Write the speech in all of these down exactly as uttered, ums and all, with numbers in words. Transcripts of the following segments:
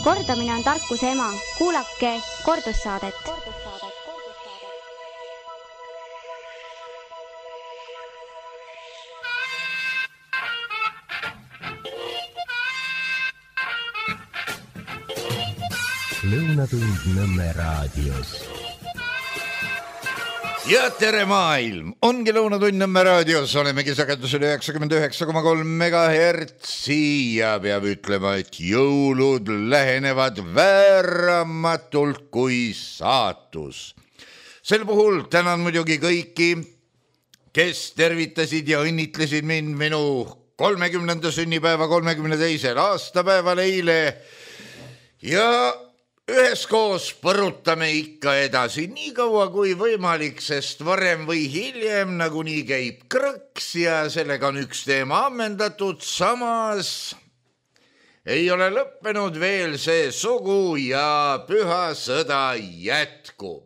Kordamine on tarkuse ema. Kuulake kordussaadet. Lõunatund Nõmme raadios. Ja tere maailm! Ongi Lõunatund Nõmme raadios. Olemegi sagedusel üheksakümmend üheksa koma kolm megahertsi ja peab ütlema, et jõulud lähenevad vääramatult kui saatus. Sel puhul tänan muidugi kõiki, kes tervitasid ja õnnitlesid mind minu kolmekümnenda sünnipäeva kolmekümne teisel aastapäeval eile ja üheskoos põrutame ikka edasi nii kaua kui võimalik, sest varem või hiljem nagunii käib krõks ja sellega on üks teema ammendatud. Samas ei ole lõppenud veel see sugu ja püha sõda jätkub.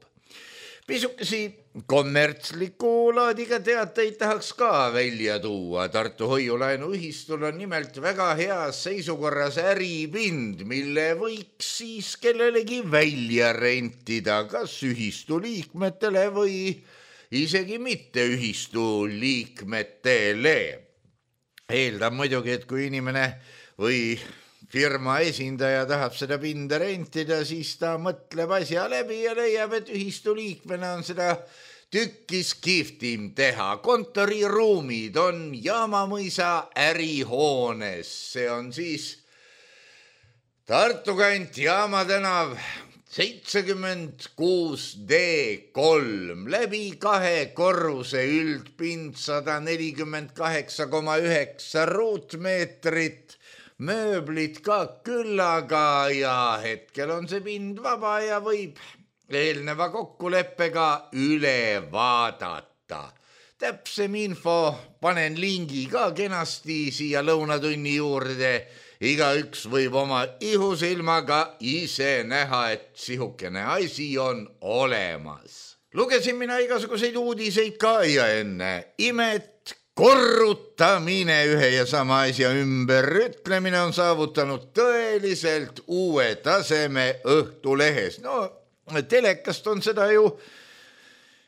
Pisukesi kommertsliku laadiga teateid tahaks ka välja tuua. Tartu Hoiulaenu ühistul on nimelt väga heas seisukorras äripind, mille võiks siis kellelegi välja rentida, kas ühistu liikmetele või isegi mitte ühistu liikmetele. Eeldab muidugi, et kui inimene või firma esindaja tahab seda pinda rentida, siis ta mõtleb asja läbi ja leiab, et ühistu liikmena on seda tükkis kihvtim teha. Kontoriruumid on Jaamamõisa ärihoones. See on siis Tartu kant Jaama tänav seitsekümmend kuus D kolm läbi kahe korruse, üldpind sada nelikümmend kaheksa koma üheksa ruutmeetrit, mööblit ka küllaga ja hetkel on see pind vaba ja võib eelneva kokkuleppega üle vaadata. Täpsem info panen lingi ka kenasti siia lõunatunni juurde. Igaüks võib oma ihusilmaga ise näha, et sihukene asi on olemas. Lugesin mina igasuguseid uudiseid ka ja enne imet. Korrutamine, ühe ja sama asja ümber ütlemine on saavutanud tõeliselt uue taseme Õhtulehes. No, telekast on seda ju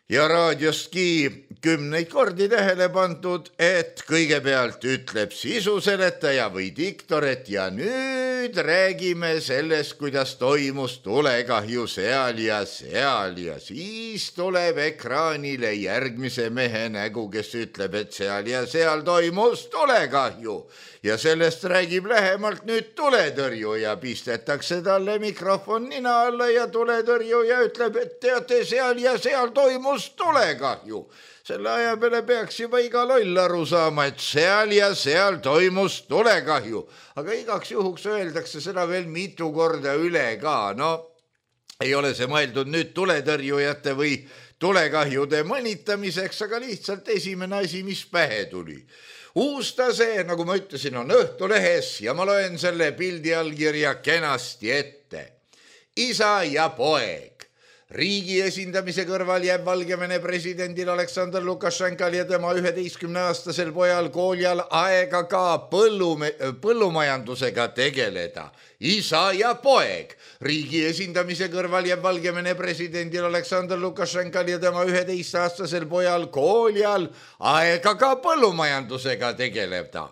ja raadiostki kümneid kordi tähele pandud, et kõigepealt ütleb sisuseletaja või diktor, et ja nüüd räägime sellest, kuidas toimus tulekahju seal ja seal ja siis tuleb ekraanile järgmise mehe nägu, kes ütleb, et seal ja seal toimus tulekahju ja sellest räägib lähemalt nüüd tuletõrjuja, pistetakse talle mikrofon nina alla ja tuletõrjuja ütleb, et teate, seal ja seal toimus tulekahju. Selle aja peale peaks juba iga loll aru saama, et seal ja seal toimus tulekahju. Aga igaks juhuks öeldakse seda veel mitu korda üle ka. No, ei ole see mõeldud nüüd tuletõrjujate või tulekahjude mõnitamiseks, aga lihtsalt esimene asi, mis pähe tuli. Uus tase, nagu ma ütlesin, on Õhtulehes ja ma loen selle pildi allkirja kenasti ette. Isa ja poeg. Riigi esindamise kõrval jääb Valgevene presidendil Aleksandr Lukašenkal ja tema üheteistkümneaastasel pojal Koljal aega ka põllume, põllumajandusega tegeleda. Isa ja poeg. Riigi esindamise kõrval jääb Valgevene presidendil Aleksandr Lukašenkal ja tema üheteistkümneaastasel pojal Koljal aega ka põllumajandusega tegeleda.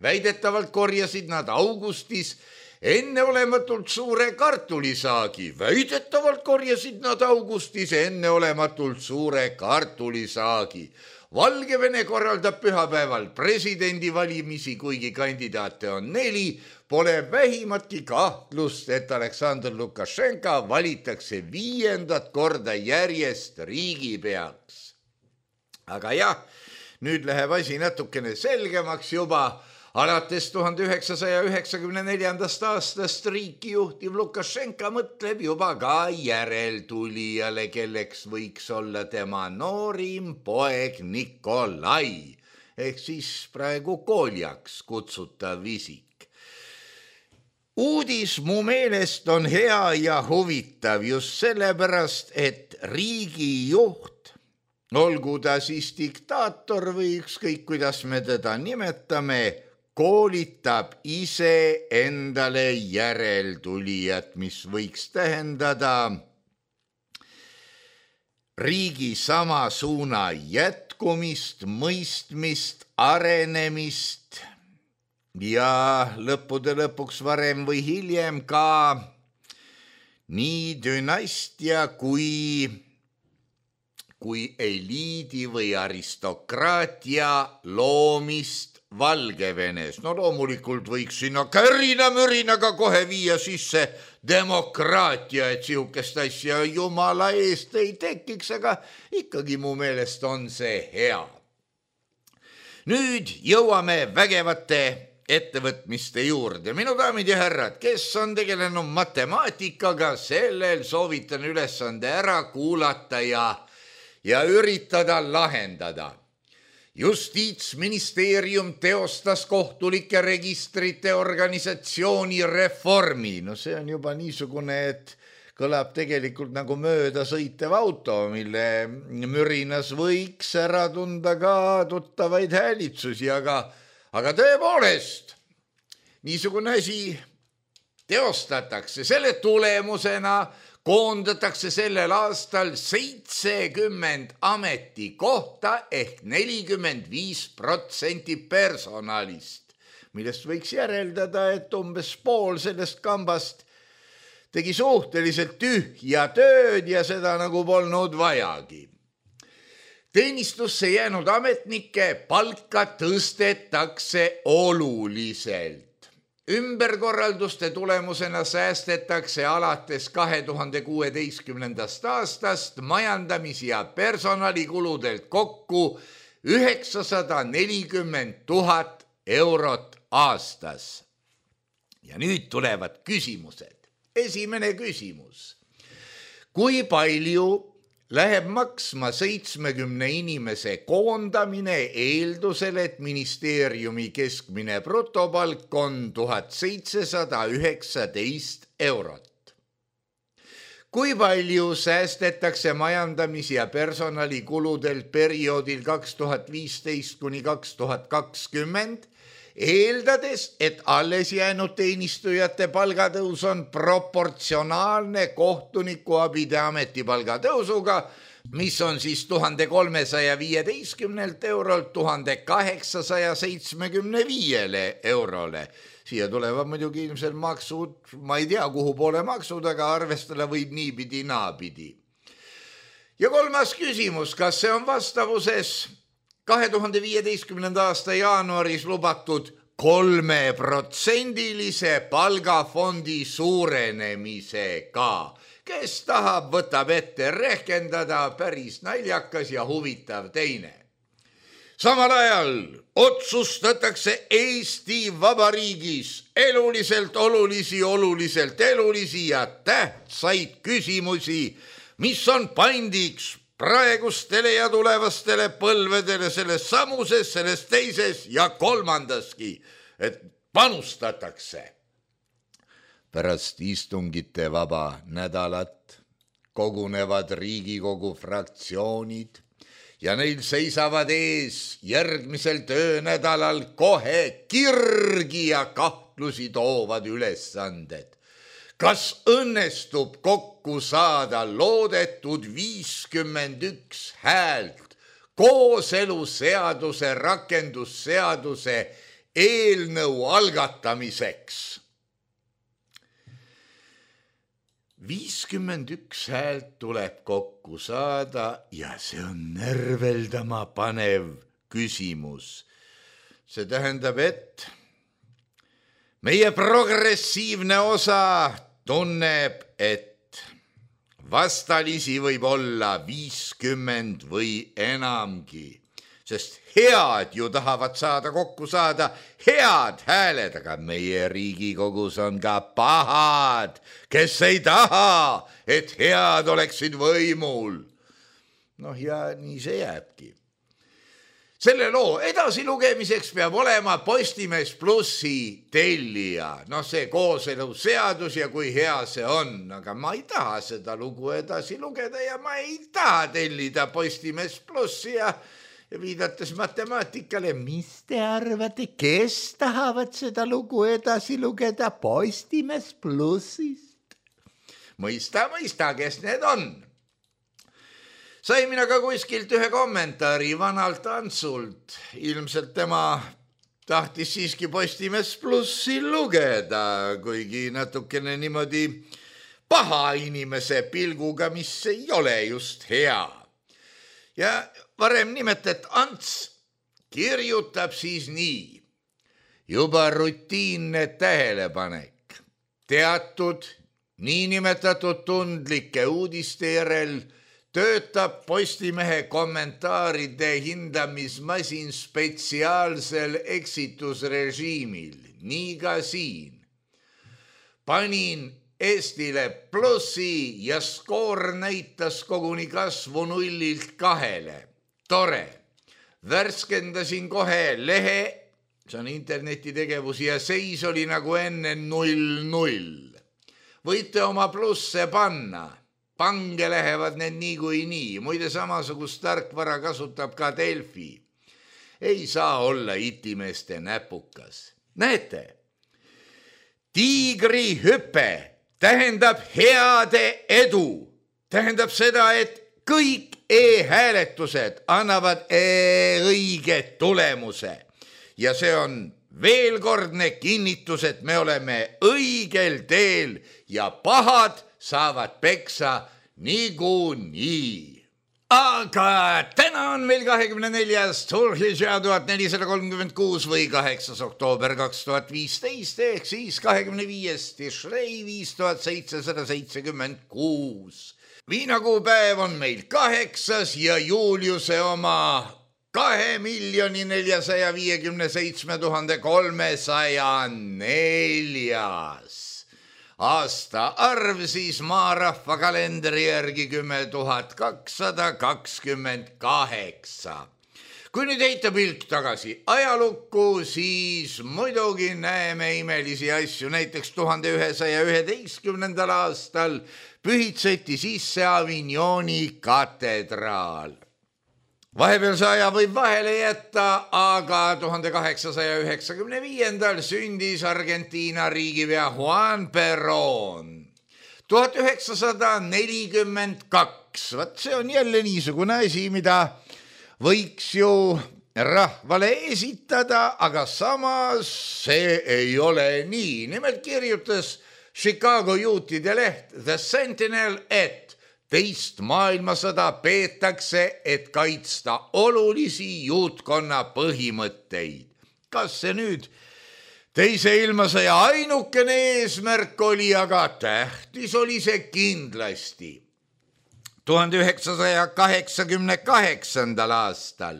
Väidetavalt korjasid nad augustis enneolematult suure kartulisaagi. Väidetavalt korjasid nad augustis enneolematult suure kartulisaagi. Valgevene korraldab pühapäeval presidendivalimisi, kuigi kandidaate on neli. Pole vähimatki kahtlust, et Aleksandr Lukašenka valitakse viiendat korda järjest riigipeaks. Aga jah, nüüd läheb asi natukene selgemaks juba. Alates tuhande üheksasaja üheksakümne neljandast aastast riiki juhtiv Lukašenka mõtleb juba ka järeltulijale, kelleks võiks olla tema noorim poeg Nikolai, ehk siis praegu Koljaks kutsutav isik. Uudis mu meelest on hea ja huvitav just sellepärast, et riigijuht, olgu ta siis diktaator või ükskõik kuidas me teda nimetame, koolitab ise endale järeltulijat, mis võiks tähendada riigi sama suuna jätkumist, mõistmist, arenemist ja lõppude lõpuks varem või hiljem ka nii dünastia kui, kui eliidi või aristokraatia loomist Valgevenes. No loomulikult võiks sinna kärina-mürinaga kohe viia sisse demokraatia, et sihukest asja jumala eest ei tekiks, aga ikkagi mu meelest on see hea. Nüüd jõuame vägevate ettevõtmiste juurde. Minu daamid ja härrad, kes on tegelenud matemaatikaga, sellel soovitan ülesande ära kuulata ja, ja üritada lahendada. Justiitsministeerium teostas kohtulike registrite organisatsiooni reformi. No see on juba niisugune, et kõlab tegelikult nagu mööda sõitev auto, mille mürinas võiks ära tunda ka tuttavaid häälitsusi, aga, aga tõepoolest, niisugune asi teostatakse. Selle tulemusena koondatakse sellel aastal seitsekümmend ametikohta ehk nelikümmend viis protsenti personalist, millest võiks järeldada, et umbes pool sellest kambast tegi suhteliselt tühja tööd ja seda nagu polnud vajagi. Teenistusse jäänud ametnike palka tõstetakse oluliselt. Ümberkorralduste tulemusena säästetakse alates kahe tuhande kuueteistkümnendast aastast majandamis- ja personalikuludelt kokku üheksasada nelikümmend tuhat eurot aastas. Ja nüüd tulevad küsimused. Esimene küsimus. Kui palju läheb maksma seitsmekümne inimese koondamine eeldusel, et ministeeriumi keskmine brutopalk on tuhat seitsesada üheksateist eurot? Kui palju säästetakse majandamis- ja personalikuludelt perioodil kaks tuhat viisteist kuni kaks tuhat kakskümmend, eeldades, et alles jäänud teenistujate palgatõus on proportsionaalne kohtunikuabide ametipalga tõusuga, mis on siis tuhande kolmesaja viieteistkümnelt eurolt tuhande kaheksasaja seitsmekümne viiele eurole. Siia tulevad muidugi ilmselt maksud, ma ei tea, kuhu poole maksud, aga arvestada võib niipidi naapidi. Ja kolmas küsimus, kas see on vastavuses kahe tuhande viieteistkümnenda aasta jaanuaris lubatud kolmeprotsendilise palgafondi suurenemisega? Kes tahab, võtab ette rehkendada, päris naljakas ja huvitav teine. Samal ajal otsustatakse Eesti Vabariigis eluliselt olulisi, oluliselt elulisi ja tähtsaid küsimusi, mis on pandiks praegustele ja tulevastele põlvedele selles samuses, selles teises ja kolmandaski, et panustatakse. Pärast istungite vaba nädalat kogunevad Riigikogu fraktsioonid ja neil seisavad ees järgmisel töönädalal kohe kirgi ja kahtlusi toovad ülesanded. Kas õnnestub kokku saada loodetud viiskümmend üks häält kooseluseaduse rakendusseaduse eelnõu algatamiseks? viiskümmend üks häält tuleb kokku saada ja see on närveldama panev küsimus. See tähendab, et meie progressiivne osa tunneb, et vastalisi võib olla viiskümmend või enamgi, sest head ju tahavad saada kokku saada head hääled, aga meie Riigikogus on ka pahad, kes ei taha, et head oleksid võimul. Noh, ja nii see jääbki. Selle loo edasilugemiseks peab olema Postimees Plussi tellija. No see kooseluseadus ja kui hea see on, aga ma ei taha seda lugu edasi lugeda ja ma ei taha tellida Postimees Plussi ja, viidates matemaatikale, mis te arvate, kes tahavad seda lugu edasi lugeda Postimees Plussist? Mõista, mõista, kes need on. Sai mina ka kuskilt ühe kommentaari vanalt Antsult. Ilmselt tema tahtis siiski Postimees Plussi lugeda, kuigi natukene niimoodi paha inimese pilguga, mis ei ole just hea. Ja varem nimetet Ants kirjutab siis nii. Juba rutiinne tähelepanek. Teatud niinimetatud tundlike uudiste järel töötab Postimehe kommentaaride hindamismasin spetsiaalsel eksitusrežiimil. Nii ka siin. Panin Eestile plussi ja skoor näitas koguni kasvu nullilt kahele. Tore. Värskendasin kohe lehe, see on internetitegevus, ja seis oli nagu enne null null. Võite oma plusse panna. Pange lähevad need nii kui nii. Muide samasugust tarkvara kasutab ka Delfi. Ei saa olla itimeeste näpukas. Näete, tiigri hüpe tähendab heade edu. Tähendab seda, et kõik e-hääletused annavad õige tulemuse. Ja see on veelkordne kinnitus, et me oleme õigel teel ja pahad saavad peksa niikuinii. Aga täna on meil kahekümne neljas Tulhilja tuhat nelisada kolmkümmend kuus või kaheksas oktoober kaks tuhat viisteist ehk siis kahekümne viies Tishrei viis tuhat seitsesada seitsekümmend kuus. Viinakuupäev on meil kaheksas ja Juliuse oma kahe miljoni neljasaja viiekümne seitsme tuhande kolmesaja neljas. Aasta arv siis maarahva kalendri järgi kümme tuhat kakssada kakskümmend kaheksa. Kui nüüd heita pilk tagasi ajalukku, siis muidugi näeme imelisi asju. Näiteks tuhande ühesaja üheteistkümnendal aastal pühitseti sisse Avignoni katedraal. Vahepealse aja võib vahele jätta, aga tuhande kaheksasaja üheksakümne viiendal sündis Argentiina riigipea Juan Perón. tuhat üheksasada nelikümmend kaks, vaat see on jälle niisugune asi, mida võiks ju rahvale esitada, aga samas see ei ole nii. Nimelt kirjutas Chicago juutide leht The Sentinel, et teist maailmasõda peetakse, et kaitsta olulisi juutkonna põhimõtteid. Kas see nüüd teise ilmasõja ainukene eesmärk oli, aga tähtis oli see kindlasti. tuhande üheksasaja kaheksakümne kaheksandal aastal,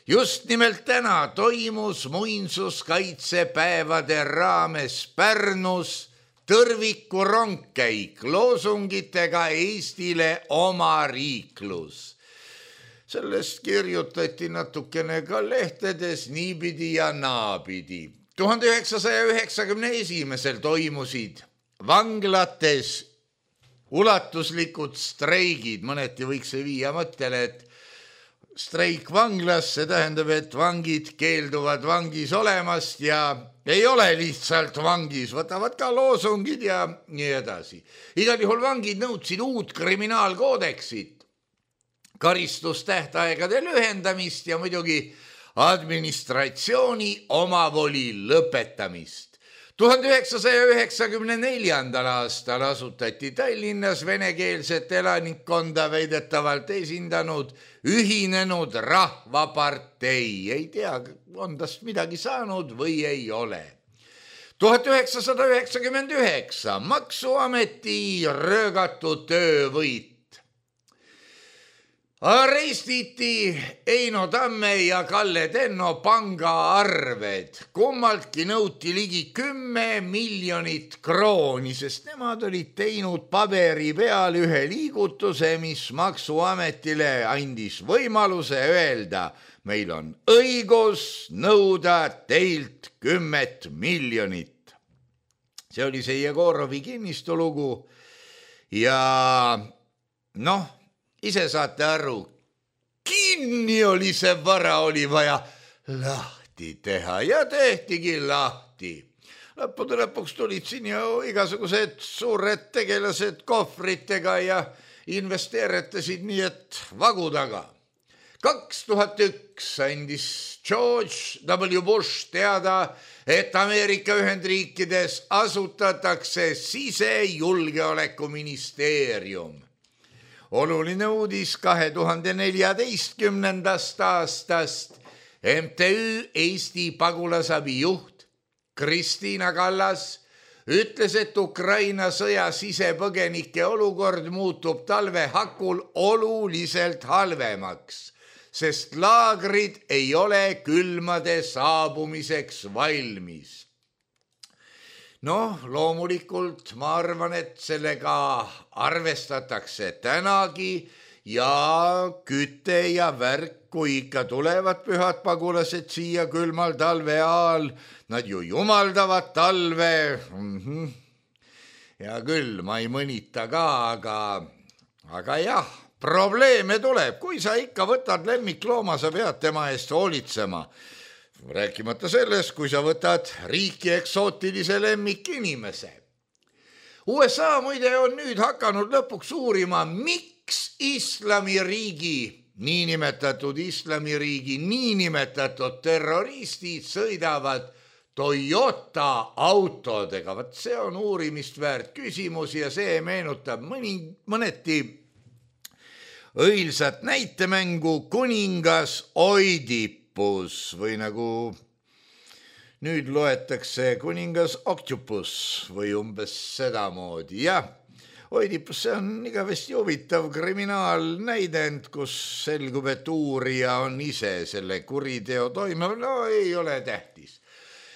just nimelt täna toimus muinsuskaitsepäevade raames Pärnus tõrviku rongkäik loosungitega Eestile oma riiklus. Sellest kirjutati natukene ka lehtedes niipidi ja naapidi. tuhande üheksasaja üheksakümne esimesel toimusid vanglates ulatuslikud streigid. Mõneti võiks see viia mõttele, et streik vanglas, see tähendab, et vangid keelduvad vangis olemast ja ei ole lihtsalt vangis, võtavad ka loosungid ja nii edasi. Igal juhul vangid nõudsid uut kriminaalkoodeksit, karistustähtaegade lühendamist ja muidugi administratsiooni omavoli lõpetamist. tuhande üheksasaja üheksakümne neljandal aastal asutati Tallinnas venekeelset elanikkonda väidetavalt esindanud Ühinenud Rahvapartei. Ei tea, on tast midagi saanud või ei ole. tuhat üheksasada üheksakümmend üheksa Maksuameti röögatu töövõit. Arestiti Eino Tamme ja Kalle Tenno pangaarved. Kummaltki nõuti ligi kümme miljonit krooni, sest nemad olid teinud paberi peal ühe liigutuse, mis Maksuametile andis võimaluse öelda, meil on õigus nõuda teilt kümmet miljonit. See oli see Jegorovi kinnistulugu ja noh, ise saate aru, kinni oli see vara, oli vaja lahti teha ja tehtigi lahti. Lõppude lõpuks tulid siin ju igasugused suured tegelased kohvritega ja investeeritasid nii, et vagu taga. kaks tuhat üks andis George W. Bush teada, et Ameerika Ühendriikides asutatakse sisejulgeolekuministeerium. Oluline uudis kahe tuhande neljateistkümnendast aastast M T Ü Eesti pagulasabi juht Kristiina Kallas ütles, et Ukraina sõja sisepõgenike olukord muutub talve hakul oluliselt halvemaks, sest laagrid ei ole külmade saabumiseks valmis. Noh, loomulikult ma arvan, et sellega arvestatakse tänagi ja küte ja värk, kui ikka tulevad pühad pagulased siia külmal talve ajal, nad ju jumaldavad talve. Mm-hmm. Ja küll, ma ei mõnita ka, aga, aga jah, probleeme tuleb. Kui sa ikka võtad lemmiklooma, sa pead tema eest hoolitsema. Rääkimata sellest, kui sa võtad riiki eksootilise lemmikinimese. U S A muide on nüüd hakanud lõpuks uurima, miks islamiriigi, niinimetatud islamiriigi, niinimetatud terroristid sõidavad Toyota autodega. Vat see on uurimist väärt küsimus ja see meenutab mõni, mõneti õilsat näitemängu Kuningas Oidipus või nagu nüüd loetakse Kuningas Octopus või umbes sedamoodi. Jah, Oidipus, see on igavesti huvitav kriminaalnäidend, kus selgub, et uurija on ise selle kuriteo toime. No ei ole tähtis.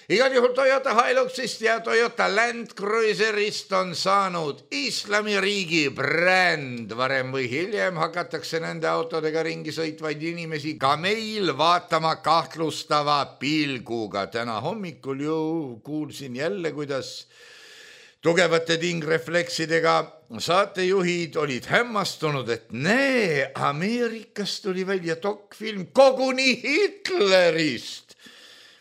Igal juhul Toyota Hiluxist ja Toyota Land Cruiserist on saanud islamiriigi bränd. Varem või hiljem hakatakse nende autodega ringi sõitvaid inimesi ka meil vaatama kahtlustava pilguga. Täna hommikul ju kuulsin jälle, kuidas tugevate tingrefleksidega saatejuhid olid hämmastunud, et näe, Ameerikas tuli välja dokfilm koguni Hitlerist,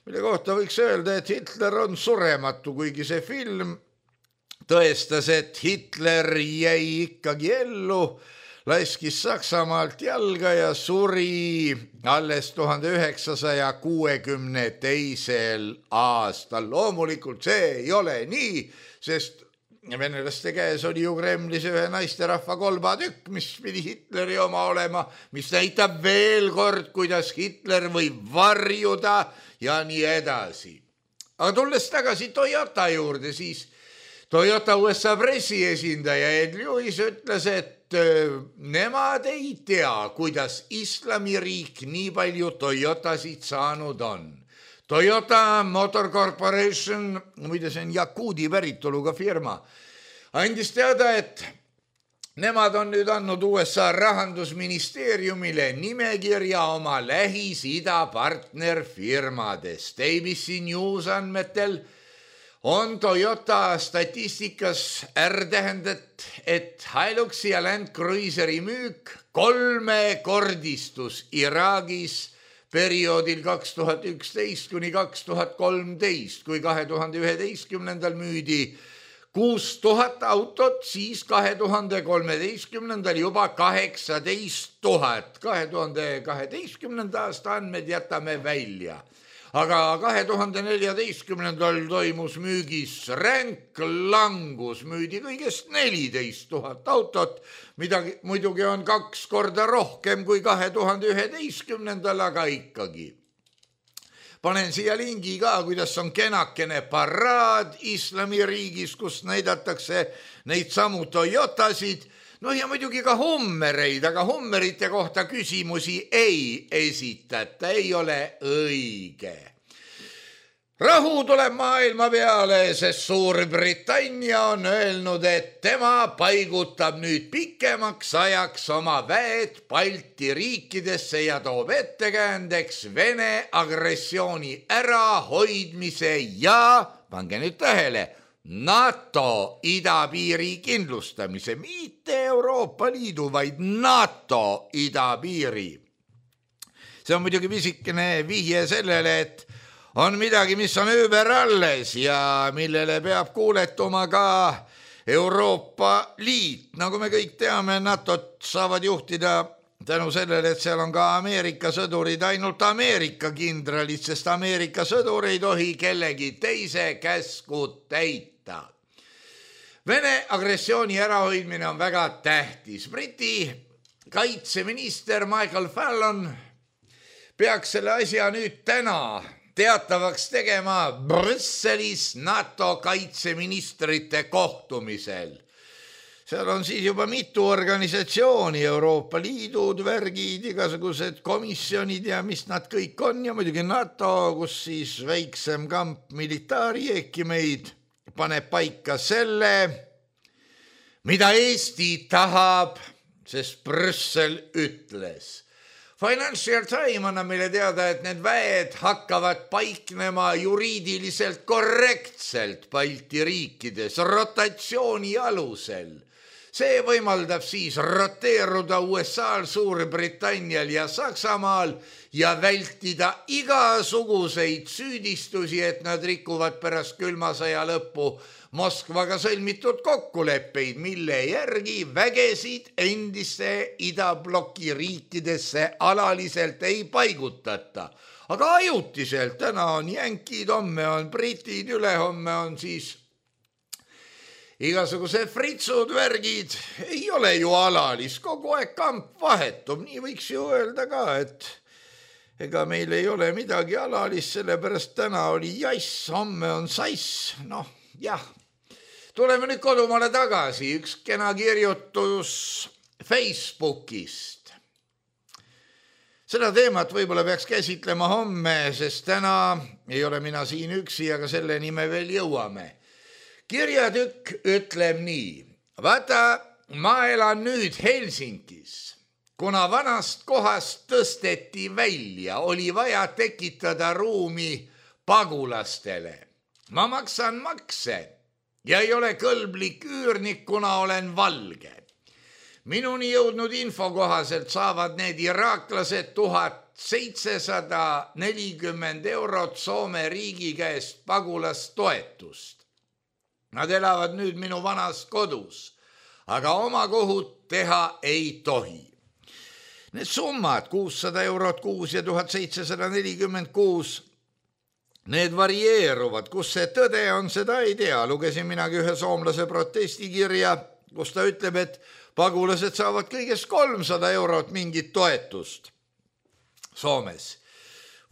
mille kohta võiks öelda, et Hitler on surematu, kuigi see film tõestas, et Hitler jäi ikkagi ellu, laskis Saksamaalt jalga ja suri alles tuhande üheksasaja kuuekümne teisel aastal. Loomulikult see ei ole nii, sest venelaste käes oli ju Kremlis ühe naisterahva kolbatükk, mis pidi Hitleri oma olema, mis näitab veel kord, kuidas Hitler võib varjuda ja nii edasi. Aga tulles tagasi Toyota juurde, siis Toyota U S A pressiesindaja Ed Lewis ütles, et nemad ei tea, kuidas islamiriik nii palju Toyotasid saanud on. Toyota Motor Corporation, muide see on Jakuudi päritoluga firma, andis teada, et nemad on nüüd andnud U S A rahandusministeeriumile nimekirja oma Lähis-Ida partnerfirmadest. A B C News andmetel on Toyota statistikas R-tähendet, et Hiluxi ja Land Cruiseri müük kolmekordistus Iraagis perioodil kaks tuhat üksteist kuni kaks tuhat kolmteist, kui kahe tuhande üheteistkümnendal müüdi kuus tuhat autot, siis kahe tuhande kolmeteistkümnendal juba kaheksateist tuhat. kahe tuhande kaheteistkümnenda aasta andmed jätame välja. Aga kahe tuhande neljateistkümnendal toimus müügis ränk langus, müüdi kõigest neliteist tuhat autot, mida muidugi on kaks korda rohkem kui kahe tuhande üheteistkümnendal, aga ikkagi. Panen siia lingi ka, kuidas on kenakene paraad islamiriigis, kus näidatakse neid samu Toyotasid, no ja muidugi ka Hummereid, aga Hummerite kohta küsimusi ei esitata, ei ole õige. Rahu tuleb maailma peale, sest Suurbritannia on öelnud, et tema paigutab nüüd pikemaks ajaks oma väed Balti riikidesse ja toob ettekäändeks Vene agressiooni ärahoidmise ja, pange nüüd tähele, NATO idapiiri kindlustamise, mitte Euroopa Liidu, vaid NATO idapiiri. see on muidugi pisikene vihje sellele, et on midagi, mis on ümber alles ja millele peab kuuletuma ka Euroopa Liit. Nagu me kõik teame, NATO-t saavad juhtida tänu sellele, et seal on ka Ameerika sõdurid, ainult Ameerika kindralid, sest Ameerika sõdur ei tohi kellegi teise käsku täita. Vene agressiooni ärahoidmine on väga tähtis. Briti kaitseminister Michael Fallon peaks selle asja nüüd täna teatavaks tegema Brüsselis NATO kaitseministrite kohtumisel. Seal on siis juba mitu organisatsiooni, Euroopa Liidud, värgid, igasugused komisjonid ja mis nad kõik on ja muidugi NATO, kus siis väiksem kamp militaari ehkki meid paneb paika selle, mida Eesti tahab, sest Brüssel ütles. Financial Times annab meile teada, et need väed hakkavad paiknema juriidiliselt korrektselt Balti riikides rotatsiooni alusel. See võimaldab siis roteeruda U S A-l, Suurbritannial ja Saksamaal ja vältida igasuguseid süüdistusi, et nad rikuvad pärast külma sõja lõppu Moskvaga sõlmitud kokkuleppeid, mille järgi vägesid endiste idabloki riikidesse alaliselt ei paigutata. Aga ajutiselt, täna on jänkid, homme on britid, ülehomme on siis igasugused fritsud, värgid, ei ole ju alalis, kogu aeg kamp vahetub, nii võiks ju öelda ka, et ega meil ei ole midagi alalis, sellepärast täna oli jass, homme on sass, noh, jah. Tuleme nüüd kodumaale tagasi, üks kena kirjutus Facebookist. Seda teemat võib-olla peaks käsitlema homme, sest täna ei ole mina siin üksi, aga selleni me veel jõuame. Kirjatükk ütleb nii, vaata, ma elan nüüd Helsingis. Kuna vanast kohast tõsteti välja, oli vaja tekitada ruumi pagulastele. Ma maksan makse ja ei ole kõlblik üürnik, kuna olen valge. Minuni jõudnud info kohaselt saavad need iraaklased tuhat seitsesada nelikümmend eurot Soome riigi käest pagulastoetust. Nad elavad nüüd minu vanas kodus, aga oma kohut teha ei tohi. Need summad, kuussada eurot kuus ja tuhat seitsesada nelikümmend kuus, need varieeruvad, kus see tõde on, seda ei tea. Lugesin minagi ühe soomlase protestikirja, kus ta ütleb, et pagulased saavad kõigest kolmsada eurot mingit toetust Soomes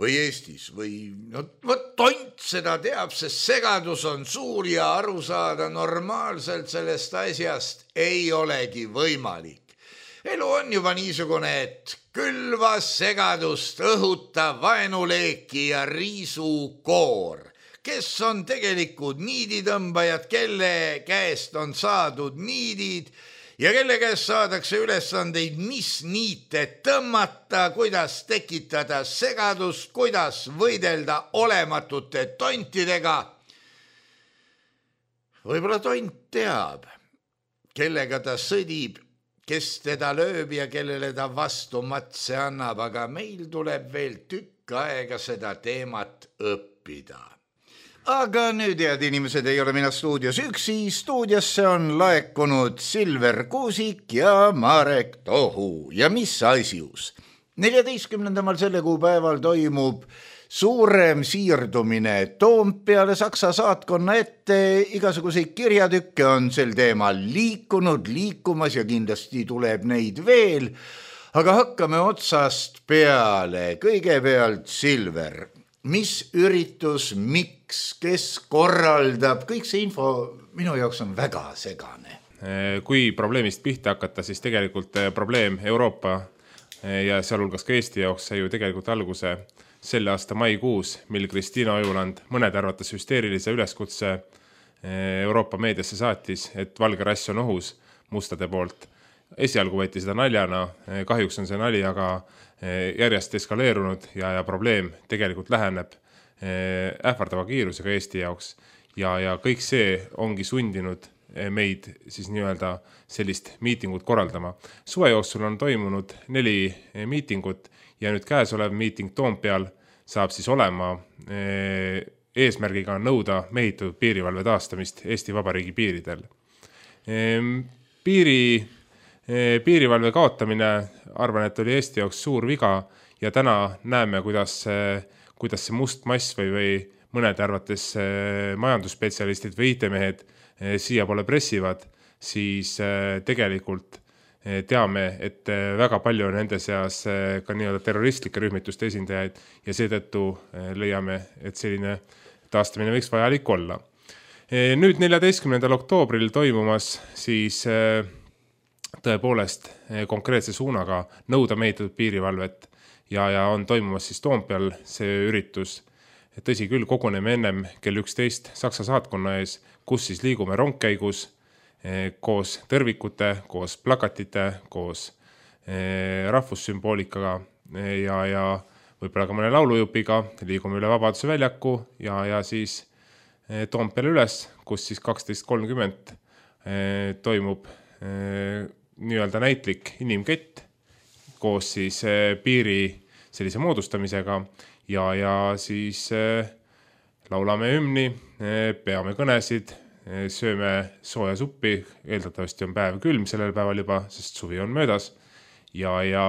või Eestis või no, võt tont seda teab, sest segadus on suur ja aru saada normaalselt sellest asjast ei olegi võimalik. Elu on juba niisugune, et külva segadust õhuta vaenuleeki ja riisukoor, kes on tegelikult niiditõmbajad, kelle käest on saadud niidid ja kelle käest saadakse ülesandeid, mis niite tõmmata, kuidas tekitada segadust, kuidas võidelda olematute tontidega. Võib-olla tont teab, kellega ta sõdib, kes teda lööb ja kellele ta vastu matse annab, aga meil tuleb veel tükk aega seda teemat õppida. Aga nüüd, head inimesed, ei ole mina stuudios üksi, stuudiosse on laekunud Silver Kuusik ja Marek Tohu. Ja mis asjus? neljateistkümnendamal selle kuupäeval toimub suurem siirdumine Toompeale Saksa saatkonna ette, igasuguseid kirjatükke on sel teemal liikunud, liikumas ja kindlasti tuleb neid veel, aga hakkame otsast peale. Kõigepealt Silver, mis üritus, miks, kes korraldab, kõik see info minu jaoks on väga segane. Kui probleemist pihta hakata, siis tegelikult probleem Euroopa ja sealhulgas ka Eesti jaoks sai ju tegelikult alguse selle aasta maikuus, mil Kristiina Ojuland mõned arvates hüsteerilise üleskutse Euroopa meediasse saatis, et valge rass on ohus mustade poolt. Esialgu võeti seda naljana, kahjuks on see nali, aga järjest eskaleerunud ja, ja probleem tegelikult läheneb ähvardava kiirusega Eesti jaoks. Ja, ja kõik see ongi sundinud meid siis nii-öelda sellist miitingut korraldama. Suve jooksul on toimunud neli miitingut ja nüüd käesolev miiting Toompeal saab siis olema eesmärgiga nõuda mehitatud piirivalve taastamist Eesti Vabariigi piiridel. Piiri, piirivalve kaotamine, arvan, et oli Eesti jaoks suur viga ja täna näeme, kuidas, kuidas see must mass või, või mõnede arvates majandusspetsialistid või I T-mehed siia pole pressivad, siis tegelikult teame, et väga palju on nende seas ka nii-öelda terroristlike rühmituste esindajaid ja seetõttu leiame, et selline taastamine võiks vajalik olla. Nüüd neljateistkümnendal oktoobril toimumas siis tõepoolest konkreetse suunaga nõuda mehitatud piirivalvet ja, ja on toimumas siis Toompeal see üritus. Tõsi küll, koguneme ennem kell üksteist Saksa saatkonna ees, kus siis liigume rongkäigus koos tõrvikute, koos plakatite, koos rahvussümboolikaga ja, ja võib-olla ka mõne laulujupiga, liigume üle Vabaduse väljaku ja, ja siis Toompeale üles, kus siis kaksteist kolmkümmend toimub nii-öelda näitlik inimkett koos siis piiri sellise moodustamisega ja, ja siis laulame hümni, peame kõnesid, sööme sooja suppi, eeldatavasti on päev külm sellel päeval juba, sest suvi on möödas ja, ja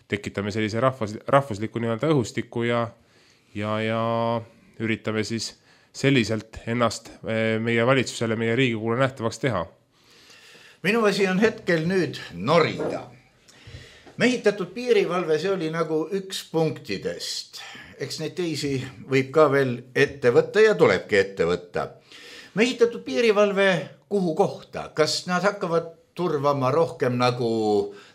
tekitame sellise rahvus, rahvusliku nii-öelda õhustiku ja, ja, ja üritame siis selliselt ennast meie valitsusele, meie Riigikogule nähtavaks teha. Minu asi on hetkel nüüd norida. Mehitatud piirivalve, see oli nagu üks punktidest. Eks neid teisi võib ka veel ette võtta ja tulebki ette võtta. Mehitatud piirivalve kuhu kohta? Kas nad hakkavad turvama rohkem nagu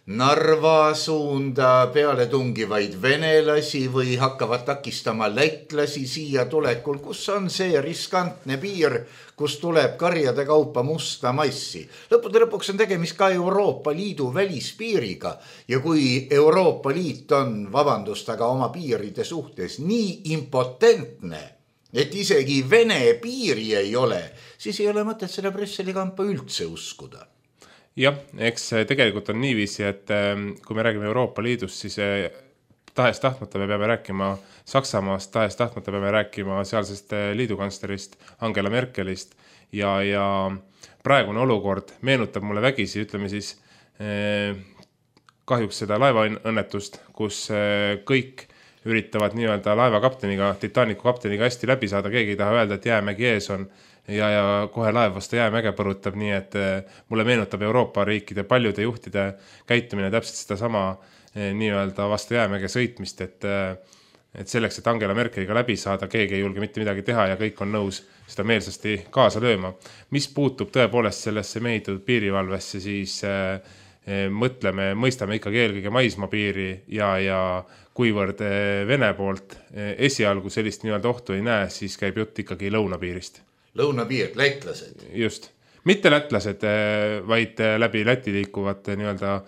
Narva suunda peale tungivaid venelasi või hakkavad takistama lätlasi siia tulekul? Kus on see riskantne piir, kus tuleb karjade kaupa musta massi? Lõppude lõpuks on tegemist ka Euroopa Liidu välispiiriga ja kui Euroopa Liit on, vabandust, aga oma piiride suhtes nii impotentne, et isegi Vene piiri ei ole, siis ei ole mõtet selle Brüsseli kampa üldse uskuda. Jah, eks tegelikult on niiviisi, et kui me räägime Euroopa Liidust, siis tahes tahtmata me peame rääkima Saksamaast, tahes tahtmata peame rääkima sealsest liidukantslerist Angela Merkelist ja, ja praegune olukord meenutab mulle vägisi, ütleme siis kahjuks seda laevaõnnetust, kus kõik üritavad nii-öelda laevakapteniga, Titanicu kapteniga hästi läbi saada, keegi ei taha öelda, et jäämägi ees on ja, ja kohe laev vastu jäämäge põrutab, nii et mulle meenutab Euroopa riikide paljude juhtide käitumine täpselt seda sama nii-öelda vastu jäämäge sõitmist, et, et selleks, et Angela Merkeliga läbi saada, keegi ei julge mitte midagi teha ja kõik on nõus seda meelsasti kaasa lööma. Mis puutub tõepoolest sellesse mehitatud piirivalvesse, siis mõtleme, mõistame ikkagi eelkõige maismaapiiri ja, ja kuivõrd Vene poolt esialgu sellist nii-öelda ohtu ei näe, siis käib jutt ikkagi lõunapiirist. Lõunapiir, lätlased. Just. Mitte lätlased, vaid läbi Läti liikuvat nii-öelda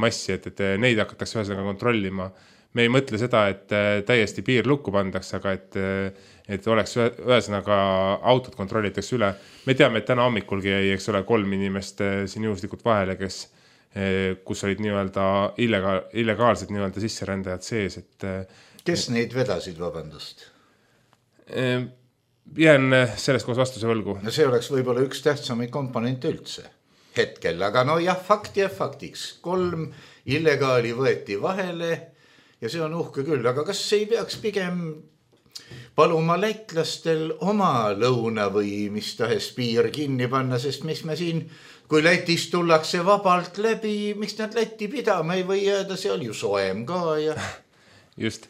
massi, et, et neid hakatakse ühesõnaga kontrollima. Me ei mõtle seda, et täiesti piir lukku pandaks, aga et, et oleks ühesõnaga autod kontrollitakse üle. Me teame, et täna hommikulgi ei, eks ole, kolm inimest siin juhuslikult vahele, kes kus olid nii-öelda illega, illegaalsed nii-öelda sisserändajad sees. Et, kes neid vedasid, vabandust? Jään sellest koos vastuse võlgu. No see oleks võib-olla üks tähtsamaid komponente üldse hetkel, aga no jah, fakt ja faktiks. Kolm illegaali võeti vahele ja see on uhke küll, aga kas ei peaks pigem paluma lätlastel oma lõuna või mis tahes piir kinni panna, sest mis me siin kui Lätist tullakse vabalt läbi, miks nad Lätti pidama ei või jääda, see oli ju soem ka ja... Just.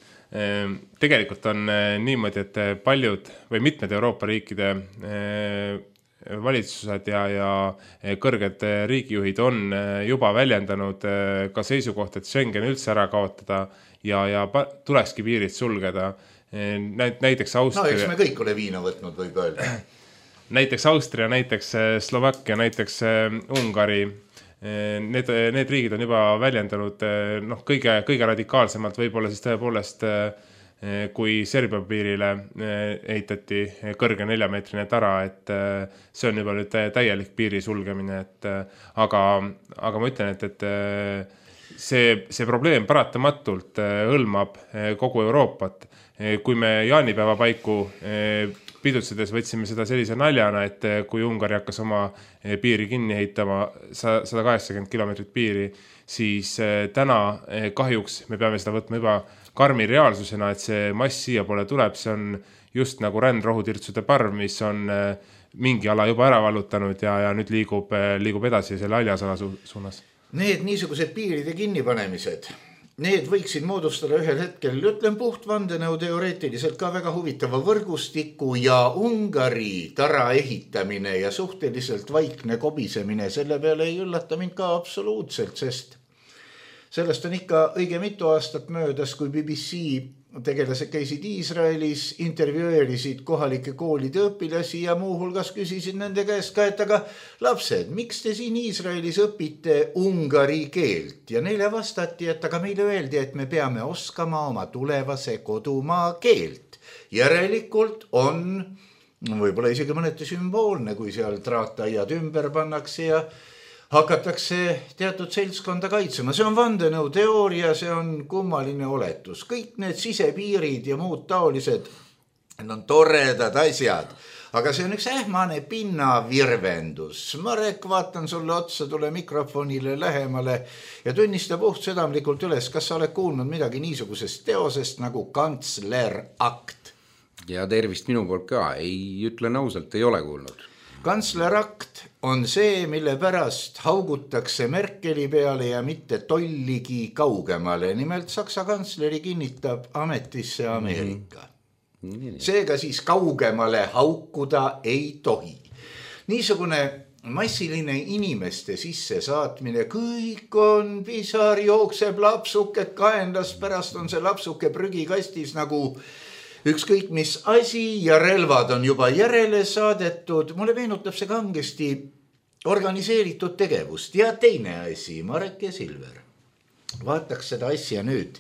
Tegelikult on niimoodi, et paljud või mitmed Euroopa riikide valitsused ja, ja kõrged riigijuhid on juba väljendanud ka seisukoht, et Schengen üldse ära kaotada ja, ja tulekski piirid sulgeda. Näiteks Austria... No eks me kõik ole viina võtnud, võib öelda. Näiteks Austria, näiteks Slovakkia, näiteks Ungari, need, need riigid on juba väljendanud noh, kõige, kõige radikaalsemalt võib-olla siis tõepoolest kui Serbia piirile ehitati kõrge neljameetrine tara, et see on juba nüüd täielik piiri sulgemine, et aga, aga ma ütlen, et, et see, see probleem paratamatult hõlmab kogu Euroopat. Kui me jaanipäeva paiku pidutsedes võtsime seda sellise naljana, et kui Ungari hakkas oma piiri kinni ehitama sada kaheksakümmend kilomeetrit piiri, siis täna kahjuks me peame seda võtma juba karmi reaalsusena, et see mass siia poole tuleb, see on just nagu rändrohutirtsude parv, mis on mingi ala juba ära vallutanud ja, ja nüüd liigub, liigub edasi selle haljasala su suunas. Need niisugused piiride kinnipanemised, need võiksid moodustada ühel hetkel, ütlen puht vandenõu teoreetiliselt ka väga huvitava võrgustiku ja Ungari tara ehitamine ja suhteliselt vaikne kobisemine, selle peale ei üllata mind ka absoluutselt, sest sellest on ikka õige mitu aastat möödas, kui B B C tegelased käisid Iisraelis, intervjueerisid kohalike koolide õpilasi ja muuhulgas küsisid nende käest ka, et aga lapsed, miks te siin Iisraelis õpite ungari keelt? Ja neile vastati, et aga meile öeldi, et me peame oskama oma tulevase kodumaa keelt. Järelikult on võib-olla isegi mõneti sümboolne, kui seal traataiad ümber pannakse ja hakatakse teatud seltskonda kaitsema. See on vandenõu teooria, see on kummaline oletus. Kõik need sisepiirid ja muud taolised on toredad asjad, aga see on üks ähmane pinnavirvendus. Marek, vaatan sulle otsa, tule mikrofonile lähemale ja tunnista puht südamlikult üles, kas sa oled kuulnud midagi niisugusest teosest nagu kantslerakt? Ja tervist minu poolt ka, ei ütlen ausalt, ei ole kuulnud. Kantslerakt on see, mille pärast haugutakse Merkeli peale ja mitte tolligi kaugemale. Nimelt Saksa kantsleri kinnitab ametisse Ameerika. Mm-hmm. Seega siis kaugemale haukuda ei tohi. Niisugune massiline inimeste sisse saatmine, kõik on pisar, jookseb lapsuke kaenlas, pärast on see lapsuke prügikastis nagu ükskõik mis asi ja relvad on juba järele saadetud. Mulle meenutab see kangesti organiseeritud tegevust. Ja teine asi, Marek ja Silver, vaataks seda asja nüüd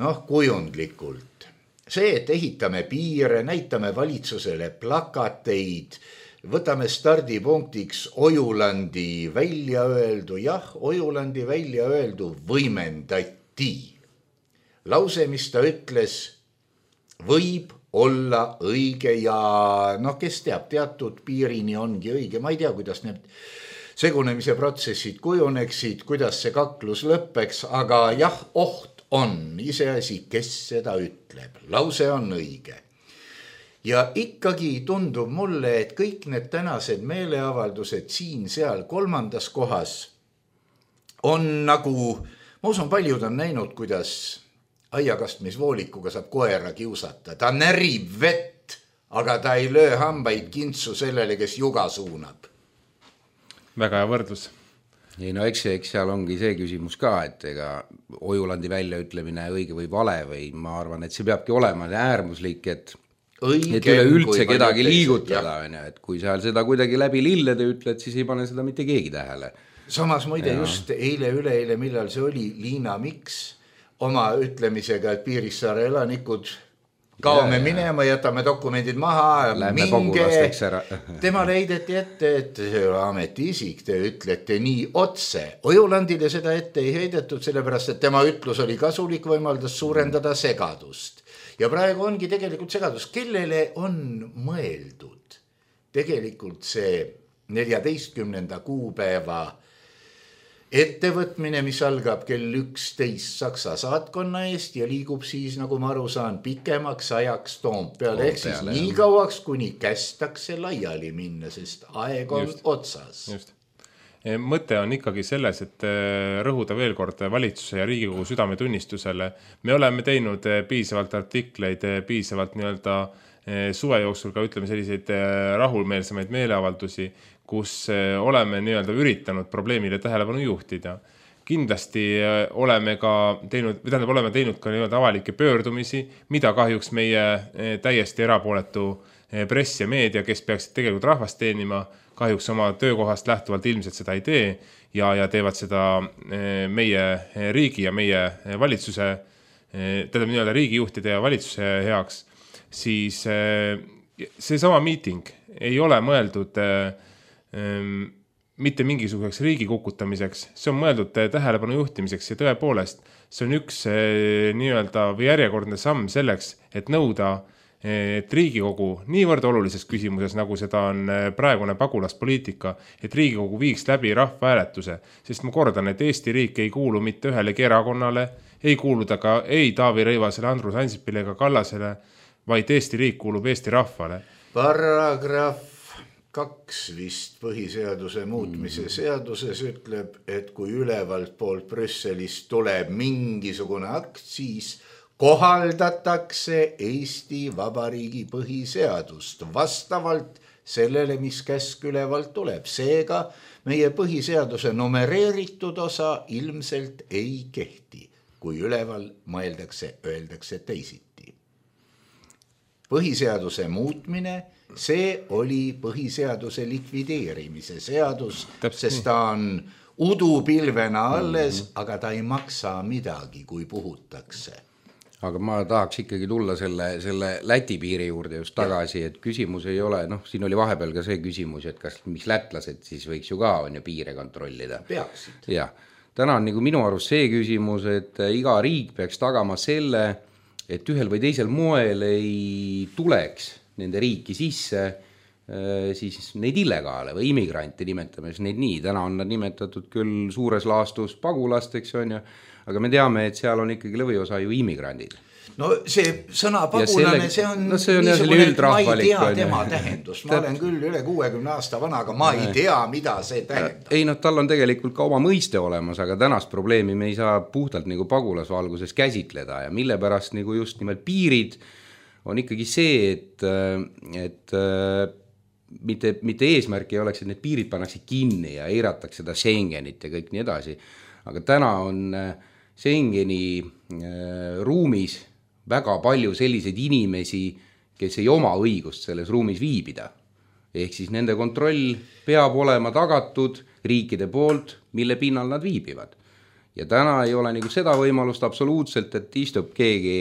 noh, kujundlikult. See, et ehitame piire, näitame valitsusele plakateid, võtame stardipunktiks Ojulandi välja öeldu. Jah, Ojulandi välja öeldu võimendati. Lause, mis ta ütles, võib olla õige ja noh, kes teab, teatud piirini ongi õige. Ma ei tea, kuidas need segunemise protsessid kujuneksid, kuidas see kaklus lõppeks, aga jah, oht on iseasi, kes seda ütleb. Lause on õige. Ja ikkagi tundub mulle, et kõik need tänased meeleavaldused siin, seal, kolmandas kohas on nagu, ma usun, paljud on näinud, kuidas aiakastmisvoolikuga saab koera kiusata. Ta närib vett, aga ta ei löö hambaid kintsu sellele, kes juga suunab. Väga hea võrdlus. Ei, no eks, eks seal ongi see küsimus ka, et ega Ojulandi väljaütlemine õige või vale või ma arvan, et see peabki olema äärmuslik, et, õige, et üle üldse kedagi liigutada. Ja. Et kui seal seda kuidagi läbi lillede ütled, siis ei pane seda mitte keegi tähele. Samas muide ja. Just eile, üleeile, millal see oli, Liina Miks oma ütlemisega, et Piirissaare elanikud kaome ja, minema, jätame dokumendid maha, lähme minge. Tema leideti ette, et ametiisik, te ütlete nii otse. Ojulandile seda ette ei heidetud, sellepärast, et tema ütlus oli kasulik, võimaldas suurendada segadust. Ja praegu ongi tegelikult segadus, kellele on mõeldud tegelikult see neljateistkümnenda kuupäeva ettevõtmine, mis algab kell üksteist Saksa saatkonna eest ja liigub siis, nagu ma aru saan, pikemaks ajaks Toompeale, ehk siis nii kauaks, kuni kästakse laiali minna, sest aeg on just otsas. Just. Mõte on ikkagi selles, et rõhuda veel kord valitsuse ja Riigikogu südametunnistusele. Me oleme teinud piisavalt artikleid, piisavalt nii-öelda suve jooksul ka ütleme selliseid rahulmeelsemaid meeleavaldusi, kus oleme nii-öelda üritanud probleemile tähelepanu juhtida. Kindlasti oleme ka teinud, või tähendab, oleme teinud ka nii-öelda avalikke pöördumisi, mida kahjuks meie täiesti erapooletu press ja meedia, kes peaksid tegelikult rahvast teenima, kahjuks oma töökohast lähtuvalt ilmselt seda ei tee ja, ja teevad seda meie riigi ja meie valitsuse tähendab nii-öelda riigijuhtide ja valitsuse heaks, siis see sama miiting ei ole mõeldud mitte mingisuguseks riigi kukutamiseks, see on mõeldud tähelepanu juhtimiseks ja tõepoolest see on üks nii-öelda või järjekordne samm selleks, et nõuda, et Riigikogu niivõrd olulises küsimuses, nagu seda on praegune pagulaspoliitika, et Riigikogu viiks läbi rahvahääletuse, sest ma kordan, et Eesti riik ei kuulu mitte ühelegi erakonnale, ei kuulu ta ka ei Taavi Rõivasele, Andrus Ansipile ega Kallasele, vaid Eesti riik kuulub Eesti rahvale. Paragrahv kaks vist põhiseaduse muutmise seaduses ütleb, et kui ülevalt poolt Brüsselist tuleb mingisugune akt, siis kohaldatakse Eesti Vabariigi põhiseadust vastavalt sellele, mis käsk ülevalt tuleb. Seega meie põhiseaduse numereeritud osa ilmselt ei kehti, kui üleval mõeldakse, öeldakse teisiti. Põhiseaduse muutmine, see oli põhiseaduse likvideerimise seadus, Täpselt sest ta on udupilvena alles, mm-hmm. aga ta ei maksa midagi, kui puhutakse. Aga ma tahaks ikkagi tulla selle, selle Läti piiri juurde just tagasi, et küsimus ei ole, noh, siin oli vahepeal ka see küsimus, et kas mis lätlased siis võiks ju ka on ju piire kontrollida. Peaksid. Ja, täna on nagu minu arust see küsimus, et iga riik peaks tagama selle, et ühel või teisel moel ei tuleks nende riiki sisse siis neid illegaale või immigrante nimetame neid nii. Täna on nad nimetatud küll suures laastus pagulasteks, on ju, aga me teame, et seal on ikkagi lõviosa ju immigrandid. No see sõna pagulane, see on, no, see on niisugune, et ma ei tea tema tähendust. Ma olen küll üle kuuekümne aasta vana, aga ma ei tea, mida see tähendab. Ei, no tal on tegelikult ka oma mõiste olemas, aga tänast probleemi me ei saa puhtalt nagu pagulasvalguses käsitleda ja mille pärast nagu just nimelt piirid on ikkagi see, et, et mitte, mitte eesmärk ei oleks, et need piirid pannakse kinni ja eiratakse seda Schengenit ja kõik nii edasi. Aga täna on Schengeni ruumis väga palju selliseid inimesi, kes ei oma õigust selles ruumis viibida. Ehk siis nende kontroll peab olema tagatud riikide poolt, mille pinnal nad viibivad. Ja täna ei ole nagu seda võimalust absoluutselt, et istub keegi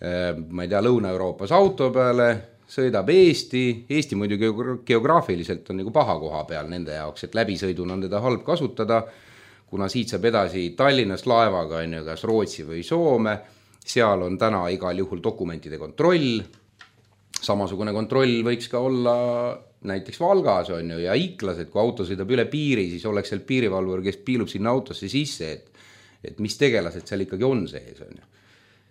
ma ei tea, Lõuna-Euroopas auto peale, sõidab Eesti, Eesti muidu geograafiliselt on nagu paha koha peal nende jaoks, et läbisõidun on teda halb kasutada, kuna siit saab edasi Tallinnast laevaga, on ju, kas Rootsi või Soome, seal on täna igal juhul dokumentide kontroll, samasugune kontroll võiks ka olla näiteks Valgas, on ju, ja Iklas, et kui auto sõidab üle piiri, siis oleks seal piirivalvur, kes piilub sinna autosse sisse, et, et mis tegelased seal ikkagi on sees, on ju.